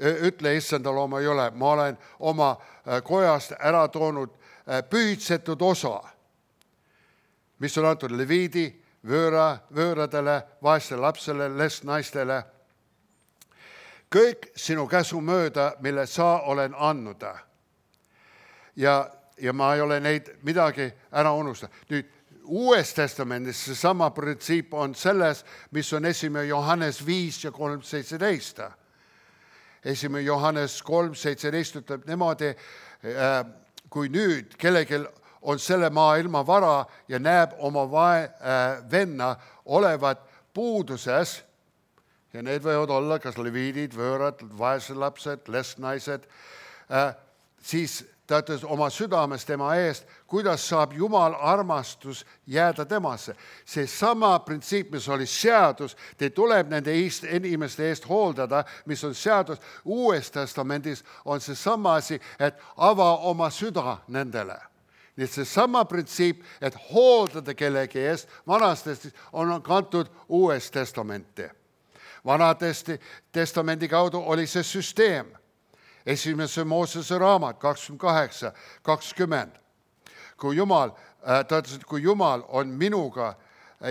ütle issandal oma jõle, ma olen oma kojast ära toonud pühitsetud osa, mis on antud leviidi, vööra, vööradele, vaestele lapsele, lestnaistele, kõik sinu käsu mööda, mille sa olen andnud. Ja, ja ma ei ole neid midagi ära unustanud. Nüüd, Uues Testamendis see sama printsiip on selles, mis on esimene Johannes viis ja kolm seitseteist. Esimene Johannes kolm seitseteist ütleb niimoodi, kui nüüd kellelgi on selle maailma vara ja näeb oma vae, venna olevat puuduses, ja need võivad olla kas leviidid, vöörad, vaesed lapsed, lestnaised, äh, siis ta ütles oma südames tema eest, kuidas saab Jumal armastus jääda temasse. See sama printsiip, mis oli seadus, te tuleb nende inimeste eest hooldada, mis on seadus. Uues Testamendis on see sama asi, et ava oma süda nendele. Nii et see sama printsiip, et hooldada kellegi eest, vanastest on kantud Uues Testamenti. Vana testamendi kaudu oli see süsteem. Esimese Moosese raamat kakskümmend kaheksa kakskümmend. Kui Jumal, ta ütles, et kui Jumal on minuga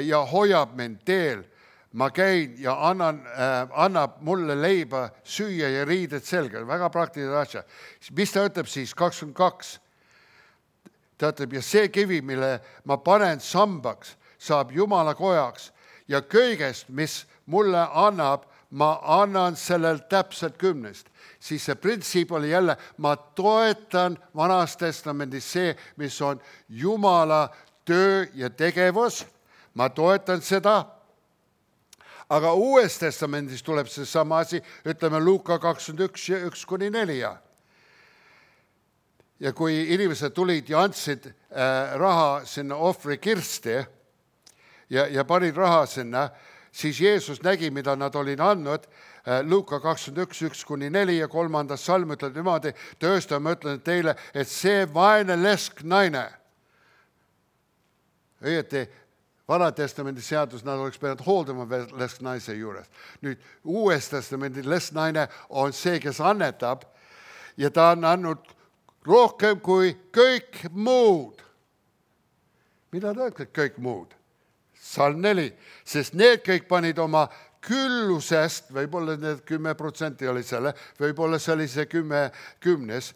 ja hoiab mind teel, ma käin ja annan, annab mulle leiba süüa ja riided selga. Väga praktiline asja. Mis ta ütleb siis? kakskümmend kaks. Ta ütleb, ja see kivi, mille ma panen sambaks, saab Jumala kojaks ja kõigest, mis mulle annab, ma annan sellel täpselt kümnest. Siis see printsiip oli jälle, ma toetan Vanas Testamendis see, mis on Jumala töö ja tegevus. Ma toetan seda. Aga Uues Testamendis tuleb see sama asi, ütleme Luuka kakskümmend üks ja üks kuni neli. Ja kui inimesed tulid ja andsid äh, raha sinna ohvri kirsti ja, ja panid raha sinna, siis Jeesus nägi, mida nad olid andnud. Luuka kakskümmend üks, üks kuni neli ja kolmandas salm ütleb niimoodi, töösta ma ütlen teile, et see vaene lesknaine, õieti Vana Testamendi seadus, nad oleks pidanud hooldama lesknaise juures. Nüüd Uues Testamendi lesknaine on see, kes annetab ja ta on andnud rohkem kui kõik muud. Mida ta ütleb kõik muud? Salm neli, sest need kõik panid oma küllusest, võib-olla need kümme protsenti oli selle, võib-olla see oli see kümme kümnes,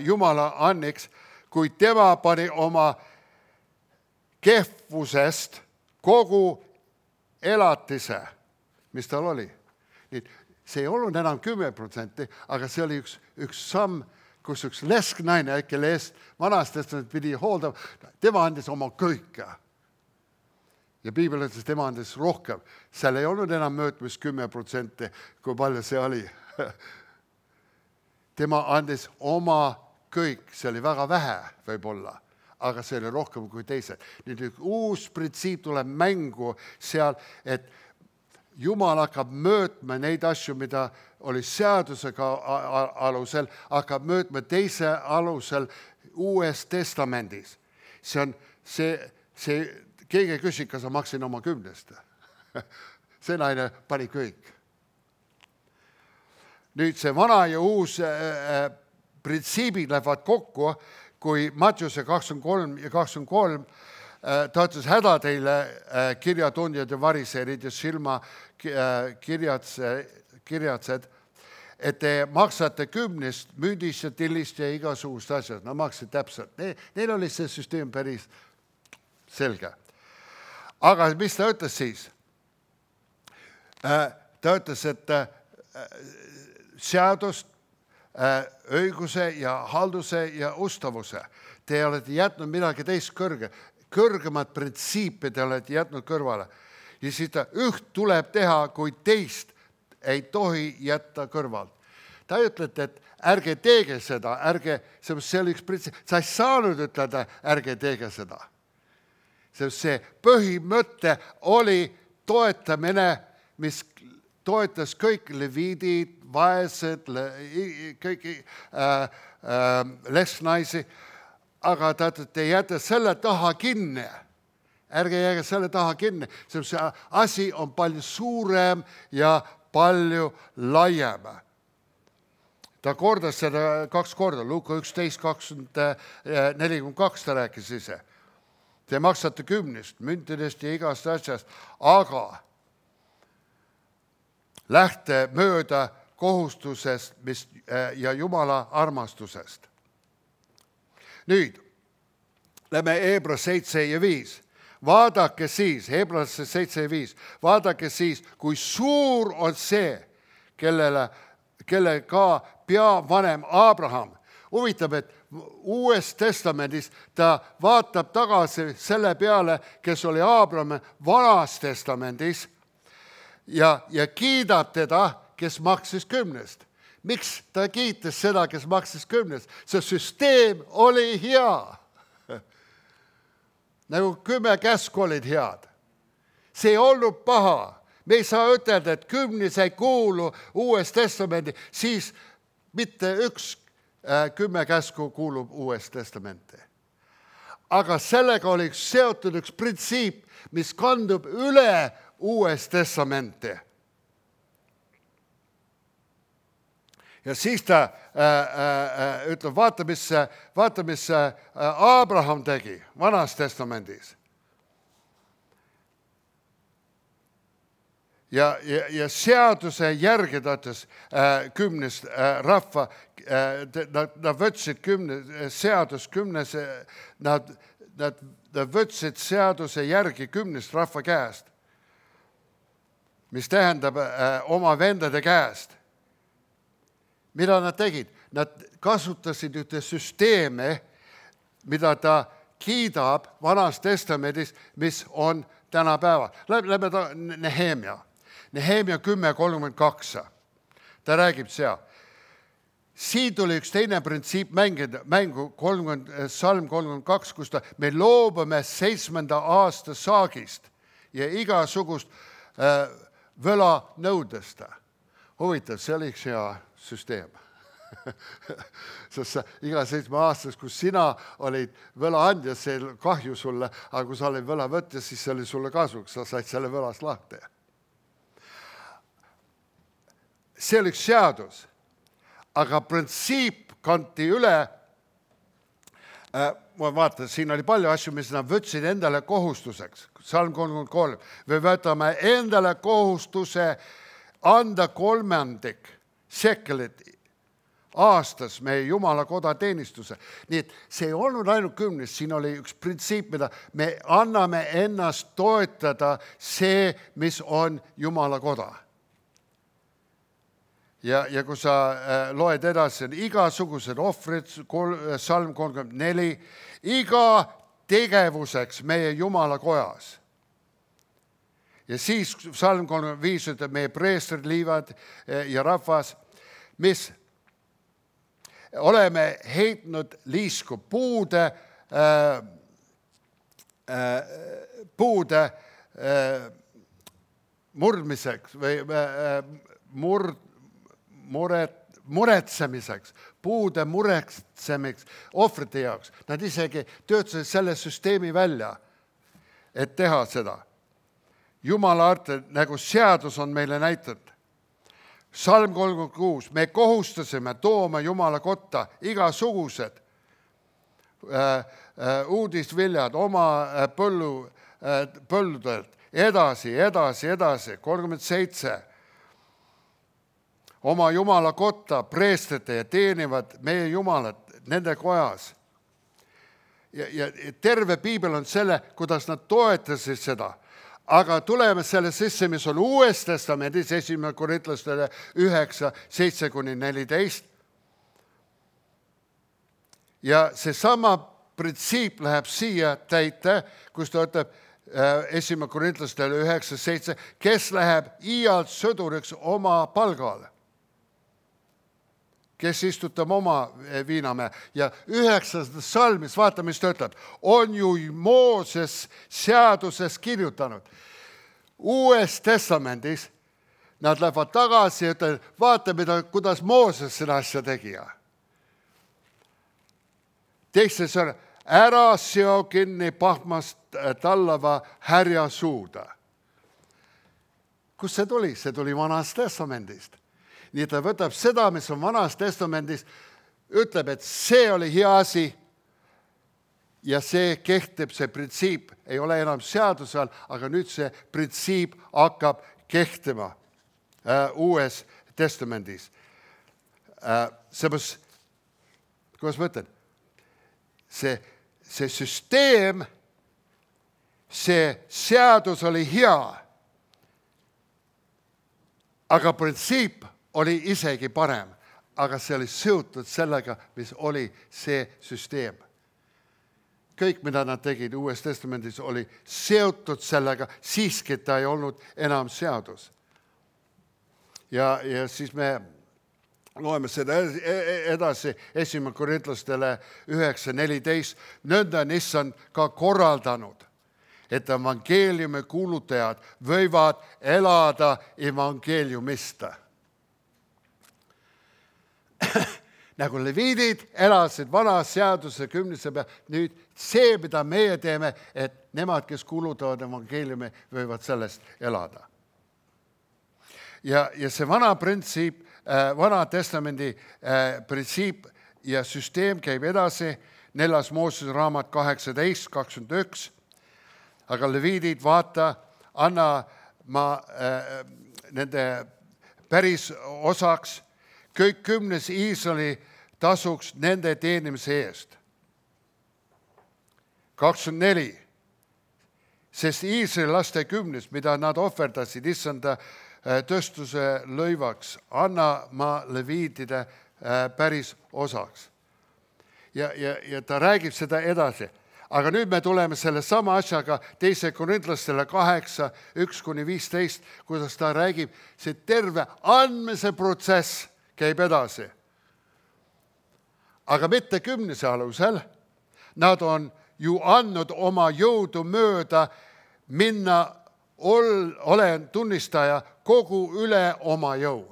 Jumala anniks, kui tema pani oma kehvusest kogu elatise, mis tal oli. Nii, see ei olnud enam kümme protsenti, aga see oli üks, üks samm, kus üks lesknaine, kelle eest vanastest pidi hooldama, tema andis oma kõike. Ja piibel ütles, tema andis rohkem. Seal ei olnud enam möötmis kümme protsenti, kui palju see oli. Tema andis oma kõik, see oli väga vähe võib-olla, aga see oli rohkem kui teised. Nüüd üks uus printsiip tuleb mängu seal, et Jumal hakkab möötma neid asju, mida oli seadusega alusel, hakkab möötma teise alusel Uues Testamendis. See on see, see keegi küsis, kas ma maksin oma kümnest. See naine pani kõik. Nüüd see vana ja uus äh, printsiibid lähevad kokku, kui Mattiuse kakskümmend kolm ja kakskümmend kolm äh, ta ütles häda teile äh, kirjatundjad ja variserid ja silma äh, kirjatse, kirjatsed, et te maksate kümnest müüdist ja tillist ja igasugust asjad. Nad maksid täpselt. Ne, neil oli see süsteem päris selge. Aga mis ta ütles siis? Äh, ta ütles, et äh, seadust, õiguse ja halduse ja ustavuse. Te olete jätnud midagi teist kõrge. Kõrgemat printsiipi te olete jätnud kõrvale. Ja siis ta üht tuleb teha, kui teist ei tohi jätta kõrvalt. Ta ütlete, et ärge teege seda, ärge, see oli üks printsiip. Sa ei saanud ütelda, ärge teege seda. See põhimõte oli toetamine, mis toetas kõik leviidid, vaesed, le, kõik äh, äh, lesnaisi, aga ta ütleb, te jääte selle taha kinni. Ärge jääge selle taha kinni. See asi on palju suurem ja palju laiem. Ta kordas seda kaks korda. Luuka üksteist kakskümmend nelikümmend kaks ta rääkis ise. Te maksate kümnest, müntidest ja igast asjast, aga lähte mööda kohustusest mis, ja Jumala armastusest. Nüüd, lähme Hebra seitse ja viis. Vaadake siis, Hebrasse seitse ja viis, vaadake siis, kui suur on see, kellele, kelle ka peavanem Abraham. Huvitav, et Uues Testamendis ta vaatab tagasi selle peale, kes oli Abraham Vanas Testamendis, Ja, ja kiidab teda, kes maksis kümnest. Miks ta kiitis seda, kes maksis kümnest? See süsteem oli hea. Nagu kümme käsku olid head. See ei olnud paha. Me ei saa ütelda, et kümnes ei kuulu Uues Testamendi, siis mitte üks äh, kümme käsku kuulub Uues Testamenti. Aga sellega oli seotud üks printsiip, mis kandub üle Uues Testamenti. Ja siis ta äh, äh, ütleb, vaata, mis, vaata, mis äh, Abraham tegi Vanas Testamendis. Ja, ja, ja seaduse järgi ta ütles äh, kümnes äh, rahva, äh, nad, nad võtsid kümne, seadus kümnes, nad, nad, nad võtsid seaduse järgi kümnest rahva käest. Mis tähendab äh, oma vendade käest. Mida nad tegid? Nad kasutasid ühte süsteeme, mida ta kiidab Vanas Testamendis, mis on tänapäeval. Lähme ta Nehemia. Nehemia kümme kolmkümmend kaks. Ta räägib seal. Siin tuli üks teine printsiip mängida, mängu kolmkümmend, salm kolmkümmend kaks, kus ta, me loobume seitsmenda aasta saagist ja igasugust äh, võla nõudesta. Huvitav, see oli üks hea süsteem. Sest sa, iga seitsme aastas, kus sina olid võlaandja, see kahju sulle, aga kui sa olid võlavõtja, siis see oli sulle kasuks, sa said selle võlas lahti. See oli üks seadus, aga printsiip kanti üle. Ma vaatan, siin oli palju asju, mis nad võtsid endale kohustuseks. Salm kolmkümmend kolm. Me võtame endale kohustuse anda kolmandik šekelit aastas meie Jumala koda teenistuse. Nii et see ei olnud ainult kümnes, siin oli üks printsiip, mida me anname ennast toetada see, mis on Jumala koda. Ja, ja kui sa äh, loed edasi, on igasugused ohvrid, kol, salm kolmkümmend neli, iga tegevuseks meie Jumala kojas. Ja siis salm kolmkümmend viis ütleb meie preestrid, liivad ja rahvas, mis oleme heitnud liisku puude äh, äh, puude äh, murdmiseks või äh, murd, muret, muretsemiseks, puude muretsemiseks, ohvrite jaoks. Nad isegi töötasid selle süsteemi välja, et teha seda. Jumala arte, nagu seadus on meile näitanud. Salm kolmkümmend kuus, me kohustasime tooma Jumala kotta igasugused äh, äh, uudisviljad oma äh, põllu, äh, põlludelt. Edasi, edasi, edasi, kolmkümmend seitse. Oma Jumala kotta preestrite ja teenivad meie Jumalat nende kojas. Ja, ja terve piibel on selle, kuidas nad toetasid seda. Aga tuleme selle sisse, mis on Uues Testamendis, esimene Korintlastele üheksa, seitse kuni neliteist. Ja seesama printsiip läheb siia täite, kus ta ütleb esimene Korintlastele üheksa, seitse, kes läheb iialt sõduriks oma palgal, kes istutab oma viinamäe. Ja üheksandas salmis, vaata, mis ta ütleb, on ju Mooses seaduses kirjutanud. Uues Testamendis nad lähevad tagasi ja ütlevad, vaata, mida, kuidas Mooses seda asja tegi. Teistes on, ära seo kinni pahmast tallava härja suuda. Kus see tuli? See tuli Vanast Testamendist. Nii ta võtab seda, mis on Vanas Testamendis, ütleb, et see oli hea asi ja see kehtib, see printsiip ei ole enam seaduse all, aga nüüd see printsiip hakkab kehtima äh, Uues Testamendis. Äh, seepärast, kuidas ma ütlen, see, see süsteem, see seadus oli hea, aga printsiip oli isegi parem, aga see oli seotud sellega, mis oli see süsteem. Kõik, mida nad tegid Uues Testamendis, oli seotud sellega, siiski ta ei olnud enam seadus. Ja, ja siis me loeme seda edasi esimene Korintlastele üheksa, neliteist. Nõnda on issand ka korraldanud, et evangeeliumi kuulutajad võivad elada evangeeliumista. Nagu leviidid elasid vana seaduse kümnise peal, nüüd see, mida meie teeme, et nemad, kes kuulutavad evangeeliumi, võivad sellest elada. Ja, ja see vana printsiip, vana testamendi printsiip ja süsteem käib edasi, neljas Moosese raamat kaheksateist, kakskümmend üks, aga leviidid, vaata, anna ma äh, nende päris osaks, kõik kümnes Iisraeli tasuks nende teenimise eest. kakskümmend neli. Sest Iisraeli laste kümnes, mida nad ohverdasid issanda tõstuse lõivaks, anna ma leviidide päris osaks. Ja, ja, ja ta räägib seda edasi. Aga nüüd me tuleme selle sama asjaga teise Korintlastele kaheksa, üks kuni viisteist, kuidas ta räägib, see terve andmise protsess käib edasi. Aga mitte kümnese alusel. Nad on ju andnud oma jõudu mööda minna, ol, olen tunnistaja kogu üle oma jõu.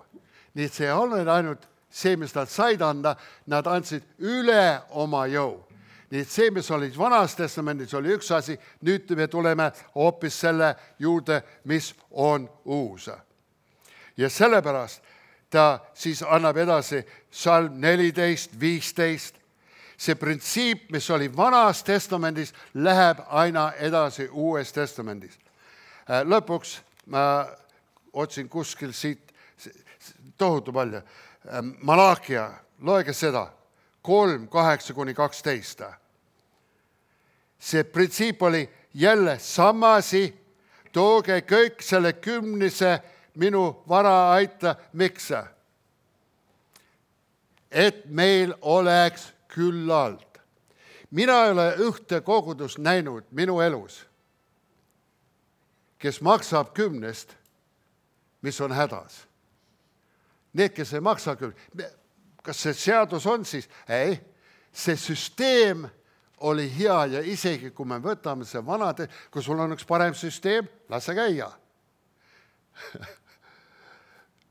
Nii et see ei ole ainult see, mis nad said anda, nad andsid üle oma jõu. Nii et see, mis oli Vanas Testamendis, oli üks asi, nüüd me tuleme hoopis selle juurde, mis on uus. Ja sellepärast ta siis annab edasi salm neliteist, viisteist. See printsiip, mis oli Vanas Testamendis, läheb aina edasi Uues Testamendis. Lõpuks ma otsin kuskil siit tohutu palju. Malakia, loege seda, kolm, kaheksa kuni kaksteist. See printsiip oli jälle samasi, tooge kõik selle kümnise minu vara aita, miks? Et meil oleks küllalt. Mina ei ole ühte kogudust näinud minu elus, kes maksab kümnest, mis on hädas. Need, kes ei maksa küll. Kas see seadus on siis? Ei, see süsteem oli hea ja isegi kui me võtame see vanade, kui sul on üks parem süsteem, lase käia.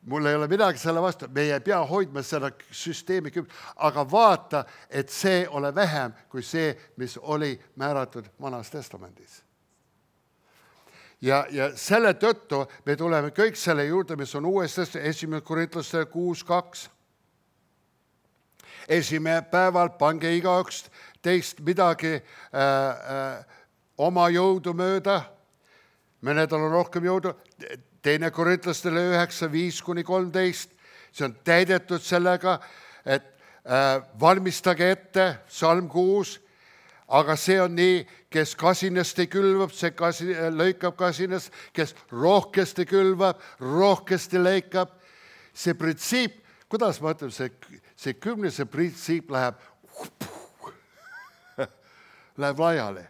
Mul ei ole midagi selle vastu, me ei pea hoidma seda süsteemi, aga vaata, et see ole vähem kui see, mis oli määratud Vanas Testamendis. Ja, ja selle tõttu me tuleme kõik selle juurde, mis on uuesti esimene Korintlaste kuus kaks. Esimene päeval pange igaüks teist midagi äh, äh, oma jõudu mööda. Mõnedel on rohkem jõudu. Teine Korintlastele üheksa viis kuni kolmteist. See on täidetud sellega, et äh, valmistage ette, salm kuus. Aga see on nii, kes kasinesti külvab, see kasi, lõikab kasinest, kes rohkesti külvab, rohkesti lõikab. See printsiip, kuidas ma ütlen, see, see kümnese printsiip läheb, läheb laiali.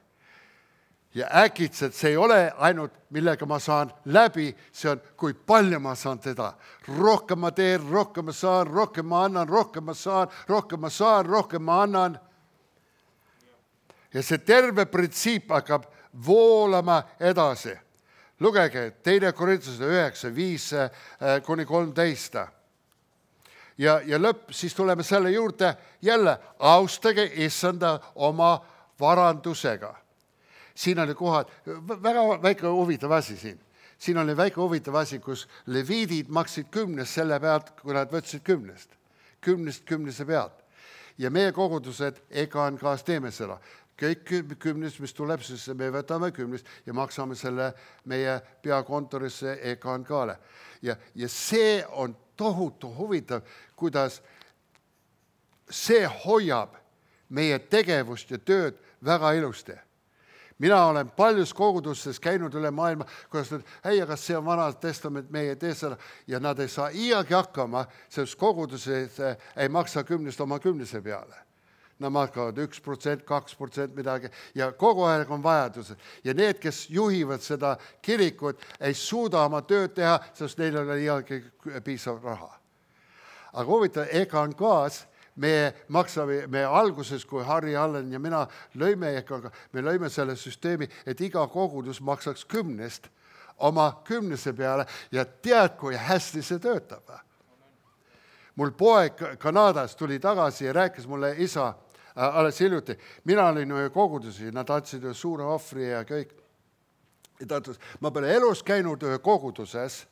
Ja äkitselt see ei ole ainult, millega ma saan läbi, see on, kui palju ma saan teda. Rohkem ma teen, rohkem ma saan, rohkem ma annan, rohkem ma saan, rohkem ma saan, rohkem ma annan. Ja see terve printsiip hakkab voolama edasi. Lugege, teine Korintlaste üheksa viis kuni kolmteist. Ja, ja lõpp, siis tuleme selle juurde jälle, austage issanda oma varandusega. Siin oli kohad, väga väike huvitav asi siin. Siin oli väike huvitav asi, kus leviidid maksid kümnest selle pealt, kui nad võtsid kümnest. Kümnest kümnese pealt. Ja meie kogudused E K N K-s teeme seda. Kõik kümnest, mis tuleb, siis me võtame kümnest ja maksame selle meie peakontorisse E K N K-le. Ja, ja see on tohutu huvitav, kuidas see hoiab meie tegevust ja tööd väga ilusti. Mina olen paljus kogudustes käinud üle maailma, kuidas nad, hei, aga see on Vana Testament, meie ei tee seda, ja nad ei saa iiagi hakkama, sest kogudused ei maksa kümnest oma kümnese peale. Nad maksavad üks protsent, kaks protsent midagi ja kogu aeg on vajadused. Ja need, kes juhivad seda kirikut, ei suuda oma tööd teha, sest neil on iiagi piisav raha. Aga huvitav, E K N K-s me maksame, me alguses, kui Harri Allen ja mina lõime E K N K, me lõime selle süsteemi, et iga kogudus maksaks kümnest oma kümnese peale ja tead, kui hästi see töötab. Mul poeg Kanadas tuli tagasi ja rääkis mulle isa äh, alles hiljuti. Mina olin ühe kogudusi, nad andsid ühe suure ohvri ja kõik. Ja ta ütles, ma pole elus käinud ühe koguduses,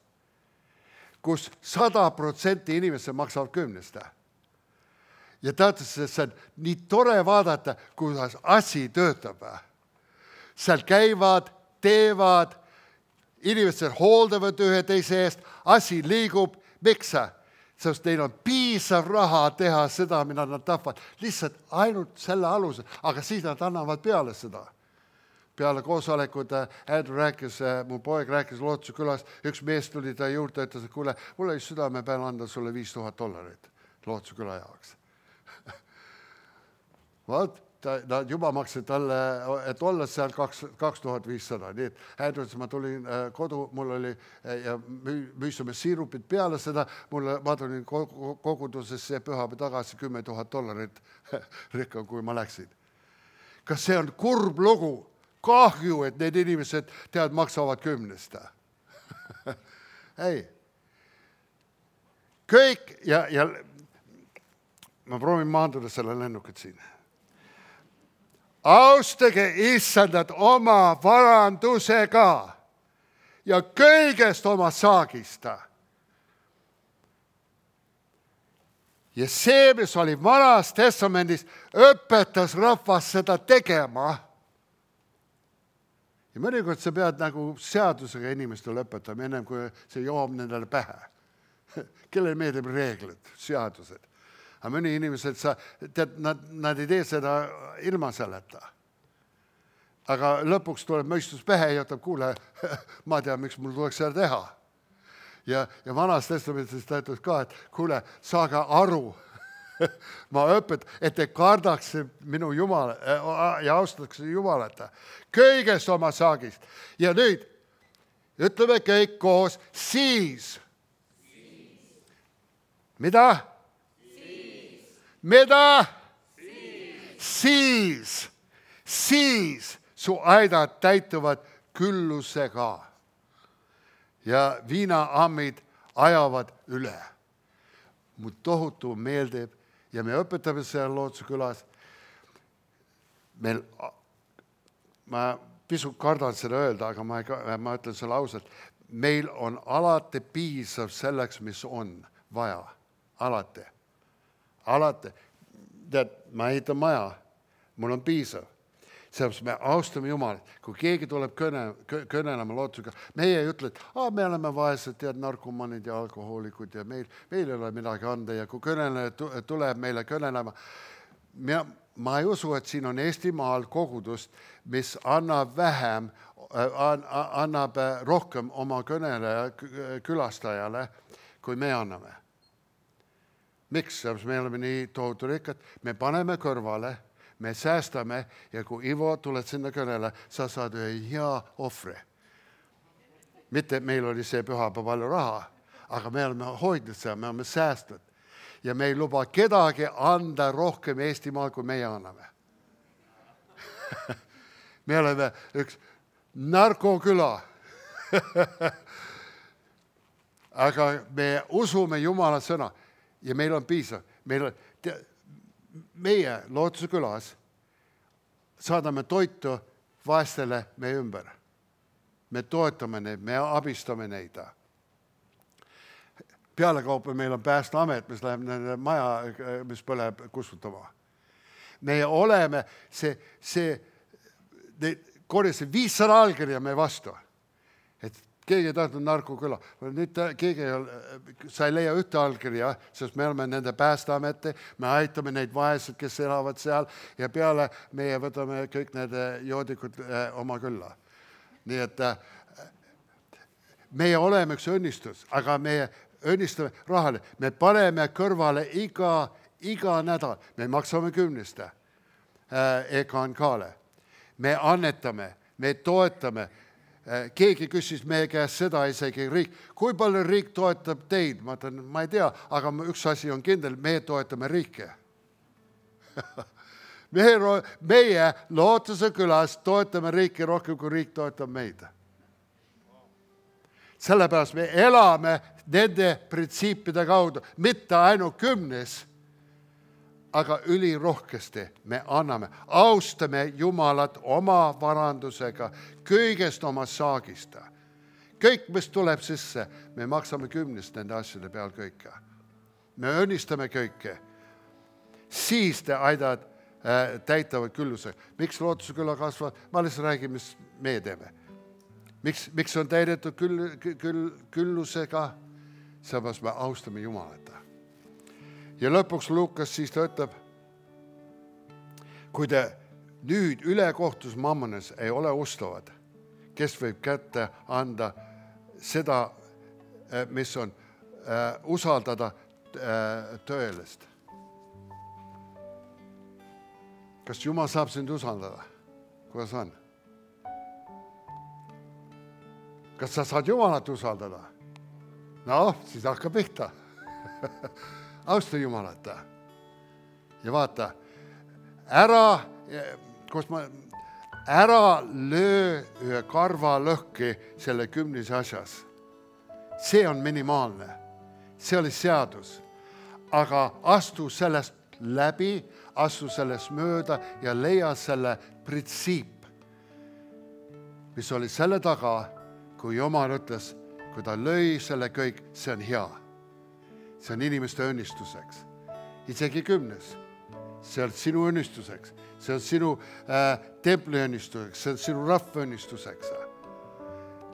kus sada protsenti inimesed maksavad kümnest. Ja ta ütles, et see on nii tore vaadata, kuidas asi töötab. Seal käivad, teevad, inimesed hooldavad ühe teise eest, asi liigub, miks sa? Sest neil on piisav raha teha seda, mida nad tahavad. Lihtsalt ainult selle alusel, aga siis nad annavad peale seda. Peale koosolekud Andrew rääkis, mu poeg rääkis Lootuse külas, üks mees tuli ta juurde ja ütles, et kuule, mul oli südame peal anda sulle viis tuhat dollarit Lootuse küla jaoks. Vaat, nad juba maksid talle, et olla seal kaks tuhat viissada. Nii et Andrew, ma tulin kodu, mul oli ja müüsime siirupid peale seda, mulle, ma tulin kogudusesse pühapäev tagasi kümme tuhat dollarit rikkam, kui ma läksin. Kas see on kurb lugu? Kahju, et need inimesed tead maksavad kümnest. Ei. Kõik ja, ja ma proovin maanduda selle lennukit siin. Austage issandat oma varandusega ja kõigest oma saagista. Ja see, mis oli Vanas Testamendis, õpetas rahvas seda tegema. Ja mõnikord sa pead nagu seadusega inimestele õpetama, ennem kui see joob nendele pähe. Kellele meeldib reeglid, seadused. Aga mõni inimesed, sa, tead, nad, nad ei tee seda ilma selleta. Aga lõpuks tuleb mõistus pähe ja ütleb, kuule, ma tean, miks mul tuleks seda teha. Ja, ja Vanas Testamendis ta ütleb ka, et kuule, saage aru, ma õpet, et te kardaks minu Jumal ja austaks Jumalat. Kõigest oma saagist. Ja nüüd ütleme kõik koos, siis. Mida? Mida? Siis. siis su aidad täituvad küllusega ja viinaammid ajavad üle. Mu tohutu meeldib ja me õpetame seal Lootuse külas. Meil, ma pisut kardan seda öelda, aga ma, ei, ma ütlen selle ausalt. Meil on alati piisav selleks, mis on vaja. Alati. Alati. Tead, ma ehitan maja. Mul on piisav. Sellepärast me austame Jumalat. Kui keegi tuleb kõne, kõnelema Lootusega, meie ei ütle, et ah, me oleme vaesed, tead, narkomanid ja alkohoolikud ja meil, meil ei ole midagi anda. Ja kui kõneleja tuleb meile kõnelema, ma, ma ei usu, et siin on Eestimaal kogudust, mis annab vähem, annab rohkem oma kõneleja külastajale, kui me anname. Miks? Sellepärast me oleme nii tohutu rikkad. Me paneme kõrvale, me säästame ja kui Ivo tuled sinna kõnele, sa saad ühe hea ohvri. Mitte, et meil oli see pühapäev palju raha, aga me oleme hoidnud seda, me oleme säästnud. Ja me ei luba kedagi anda rohkem Eestimaal, kui meie anname. Me oleme üks narkoküla. Aga me usume Jumala sõna ja meil on piisav. Meil on, te, meie Lootuse külas saadame toitu vaestele meie ümber. Me toetame neid, me abistame neid. Pealekaupa meil on Päästeamet, mis läheb nende maja, mis põleb kustutama. Me oleme, see, see korjasid viissada allkirja me vastu. Et keegi ei tahtnud narkoküla. Nüüd keegi ei ole, sa ei leia ühte allkirja, sest me oleme nende Päästeameti, me aitame neid vaesed, kes elavad seal ja peale meie võtame kõik need joodikud oma külla. Nii et meie oleme üks õnnistus, aga meie õnnistame rahale. Me paneme kõrvale iga, iga nädal. Me maksame kümniste E K N K-le. Me annetame, me toetame. Keegi küsis meie käest seda isegi riik. Kui palju riik toetab teid? Ma ütlen, ma ei tea, aga üks asi on kindel, me toetame riike. meie, meie Lootuse külas toetame riiki rohkem, kui riik toetab meid. Sellepärast me elame nende printsiipide kaudu, mitte ainult kümnes, aga ülirohkesti me anname. Austame Jumalat oma varandusega, kõigest oma saagista. Kõik, mis tuleb sisse, me maksame kümnest nende asjade peal kõike. Me õnnistame kõike. Siis te aidad äh, täitavad küllusega. Miks Lootuse küla kasvab? Ma lihtsalt räägin, mis me teeme. Miks, miks on täidetud küll, küll, küllusega? Sellepärast me austame Jumalat. Ja lõpuks Lukas siis ta ütleb, kui te nüüd ülekohtus mammones ei ole ustavad, kes võib kätte anda seda, mis on äh, usaldada äh, tõelist. Kas Jumal saab sind usaldada? Kuidas on? Kas sa saad Jumalat usaldada? No, siis hakka pihta. Austa Jumalat. Ja vaata, ära, kus ma, ära löö ühe karva lõhki selle kümnise asjas. See on minimaalne. See oli seadus. Aga astu sellest läbi, astu sellest mööda ja leia selle printsiip, mis oli selle taga, kui Jumal ütles, kui ta lõi selle kõik, see on hea. See on inimeste õnnistuseks. Isegi kümnes. See on sinu õnnistuseks. See on sinu äh, templi õnnistuseks. See on sinu rahva õnnistuseks.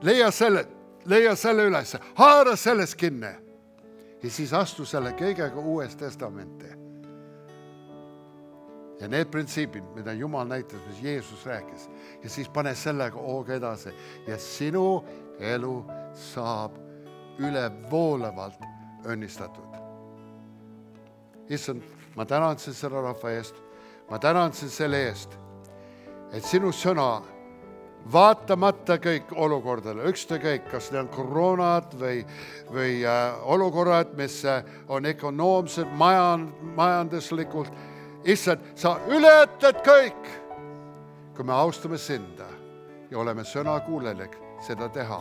Leia selle, leia selle üles. Haara selles kinni. Ja siis astu selle kõigega uues testamenti. Ja need printsiibid, mida Jumal näitas, mis Jeesus rääkis. Ja siis pane sellega hooga edasi. Ja sinu elu saab üle voolevalt õnnistatud. Issand, ma tänan sind selle rahva eest. Ma tänan sind selle eest, et sinu sõna vaatamata kõik olukordadele, ükskõik, kas need on koroonad või, või äh, olukorrad, mis on ökonoomsed, majan, majanduslikult. Issand, sa ületad kõik. kui me austame sind ja oleme sõnakuulelik seda teha.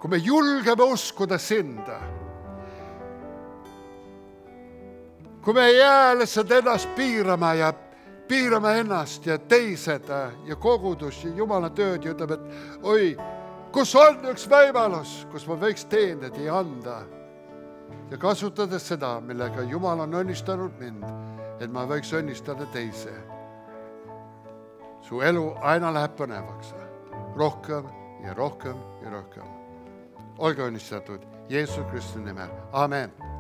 Kui me julgeme uskuda sind, kui me ei jää lihtsalt ennast piirama ja piirama ennast ja teised ja kogudus ja Jumala tööd ja ütleb, et oi, kus on üks võimalus, kus ma võiks teenida ja anda ja kasutades seda, millega Jumal on õnnistanud mind, et ma võiks õnnistada teise. Su elu aina läheb põnevaks, rohkem ja rohkem ja rohkem. Olge õnnistatud Jeesus Kristi nimel. Amen.